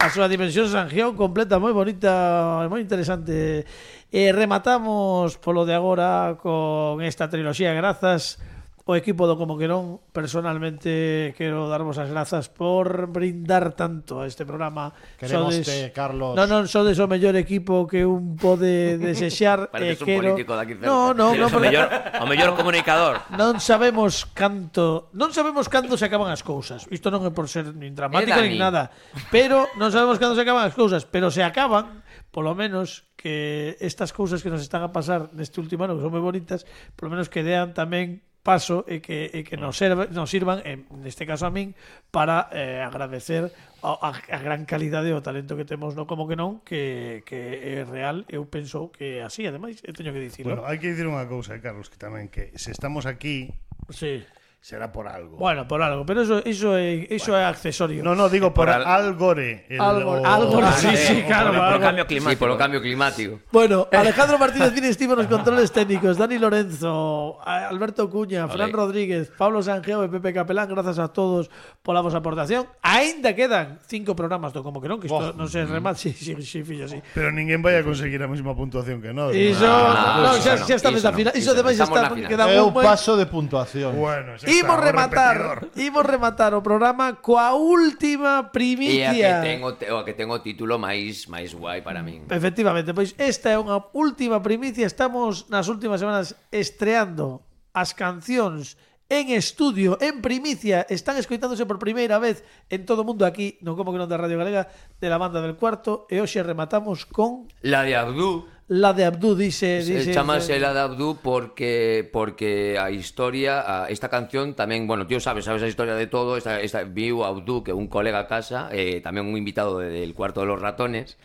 a súa dimensión Sangiao completa, moi bonita, moi interesante. E rematamos polo de agora con esta triloxía. Grazas o equipo do Como que non. Personalmente quero darvos as grazas por brindar tanto a este programa. Queremos te, Carlos. Non, non, sodes o mellor equipo que un pode desexar. e Pareces un quero... político daqui cerca. No, no, no, o mellor, o mellor comunicador. Non sabemos canto, non sabemos cando se acaban as cousas. Isto non é por ser nin dramático Eh, nin Dani. nada, pero non sabemos cando se acaban as cousas, pero se acaban, polo menos que estas cousas que nos están a pasar neste último ano, que son moi bonitas, polo menos que dean tamén paso e que, e que nos, serve, nos sirvan, en neste caso a min, para eh, agradecer a, a, a gran calidade e o talento que temos no Como que non, que, que é real. Eu penso que así, ademais, eu teño que dicirlo. Bueno, hai que dicir unha cousa, Carlos, que tamén que se estamos aquí Sí. será por algo. Bueno, por algo, pero eso, eso, é, eso é accesorio. No, no, digo por, Por al- Algore. el- Algo, o- algo, o- sí, sí, claro. Por, por algo. cambio climático. Sí, polo cambio climático. Bueno, Alejandro Martínez Cine estivo nos controles técnicos, Dani Lorenzo, Alberto Cuña, Fran Ole. Rodríguez, Pablo Sangiao e Pepe Capelán. Grazas a todos pola vosa aportación. Aínda quedan cinco programas do Como que non, que isto Oh. non se remate. Sí, sí, sí, fillo, sí. Pero ninguén vai a conseguir a mesma puntuación que nós. Iso, no, no, iso xa, no, xa estamos iso na final. no, Iso iso ademais no, estamos está na final. queda É un o buen... paso de puntuación. Bueno, xa Imos está, o rematar, repetidor. imos rematar o programa coa última E a que primicia. ten o, te- o a que ten o título máis máis guai para min. Efectivamente, pois esta é unha última primicia. Estamos nas últimas semanas estreando as cancións en estudio, en primicia. Están escoitándose por primeira vez en todo o mundo aquí no Como que non da Radio Galega, de la Banda del Cuarto. E hoxe rematamos con La de Abdú. la de Abdú, dice, Se dice chamase La de Abdú porque porque a historia, a, esta canción tamén, bueno, tío sabes, sabes a historia de todo, esta, esta viu Abdú, que é un colega a casa, eh, tamén un invitado de, del Cuarto de los Ratones,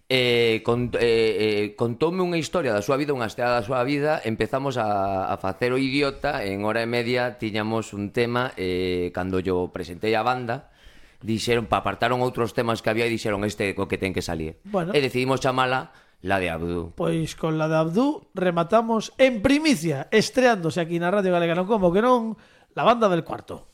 eh, cont, eh, eh, contoume unha historia da súa vida, unha esteada da súa vida. Empezamos a, a facer o idiota, en hora e media tiñamos un tema, eh, cando yo presentei a banda, dixeron, pa apartaron outros temas que había e dixeron este o que ten que salir. Bueno. E decidimos chamala La de Abdú. Pois con la de Abdú rematamos en primicia, estreándose aquí na Radio Galega no Como que non, la Banda del Cuarto.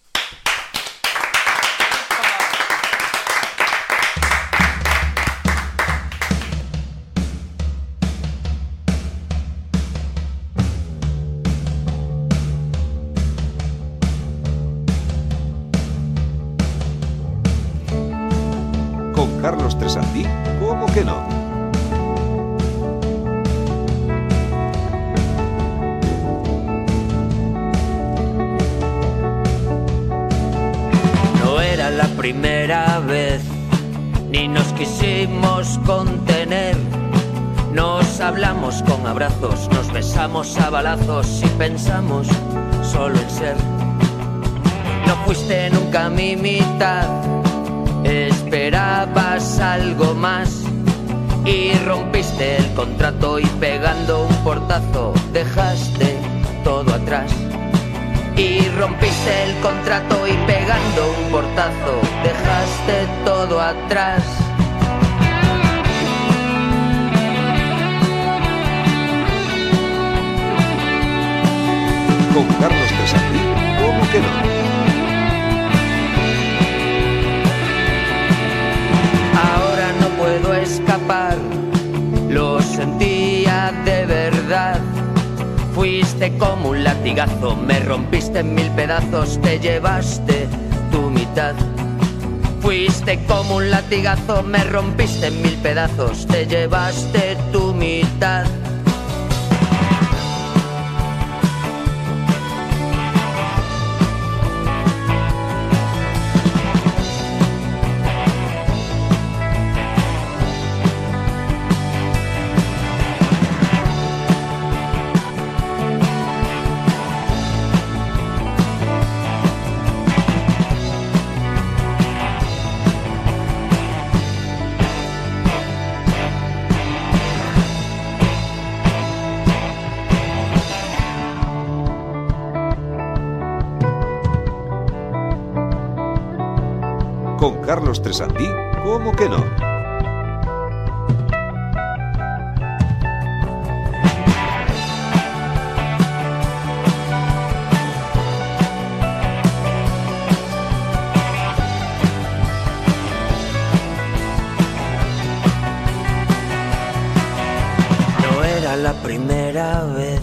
Tresandí, como que non? No era la primera vez, ni nos quisimos contener. Nos hablamos con abrazos, nos besamos a balazos y pensamos solo en ser. No fuiste nunca mi mitad, esperabas algo más y rompiste el contrato y pegando un portazo dejaste todo atrás. Y rompiste el contrato y pegando un portazo dejaste todo atrás. Con Carlos Tresandí, como que non? Ahora no puedo escapar, lo sentía de verdad. Fuiste como un latigazo, me rompiste en mil pedazos, te llevaste tu mitad. Fuiste como un latigazo, me rompiste en mil pedazos, te llevaste tu mitad. Con Carlos Tresandí, como que non? No era la primera vez,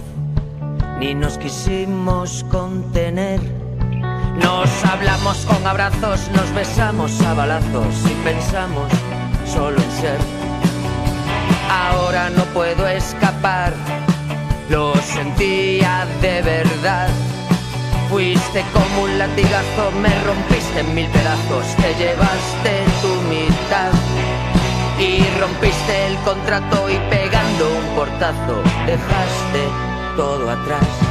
ni nos quisimos contener. Nos hablamos con abrazos, nos besamos a balazos y pensamos solo en ser. Ahora no puedo escapar, lo sentía de verdad. Fuiste como un latigazo, me rompiste en mil pedazos, te llevaste tu mitad. Y rompiste el contrato y pegando un portazo dejaste todo atrás.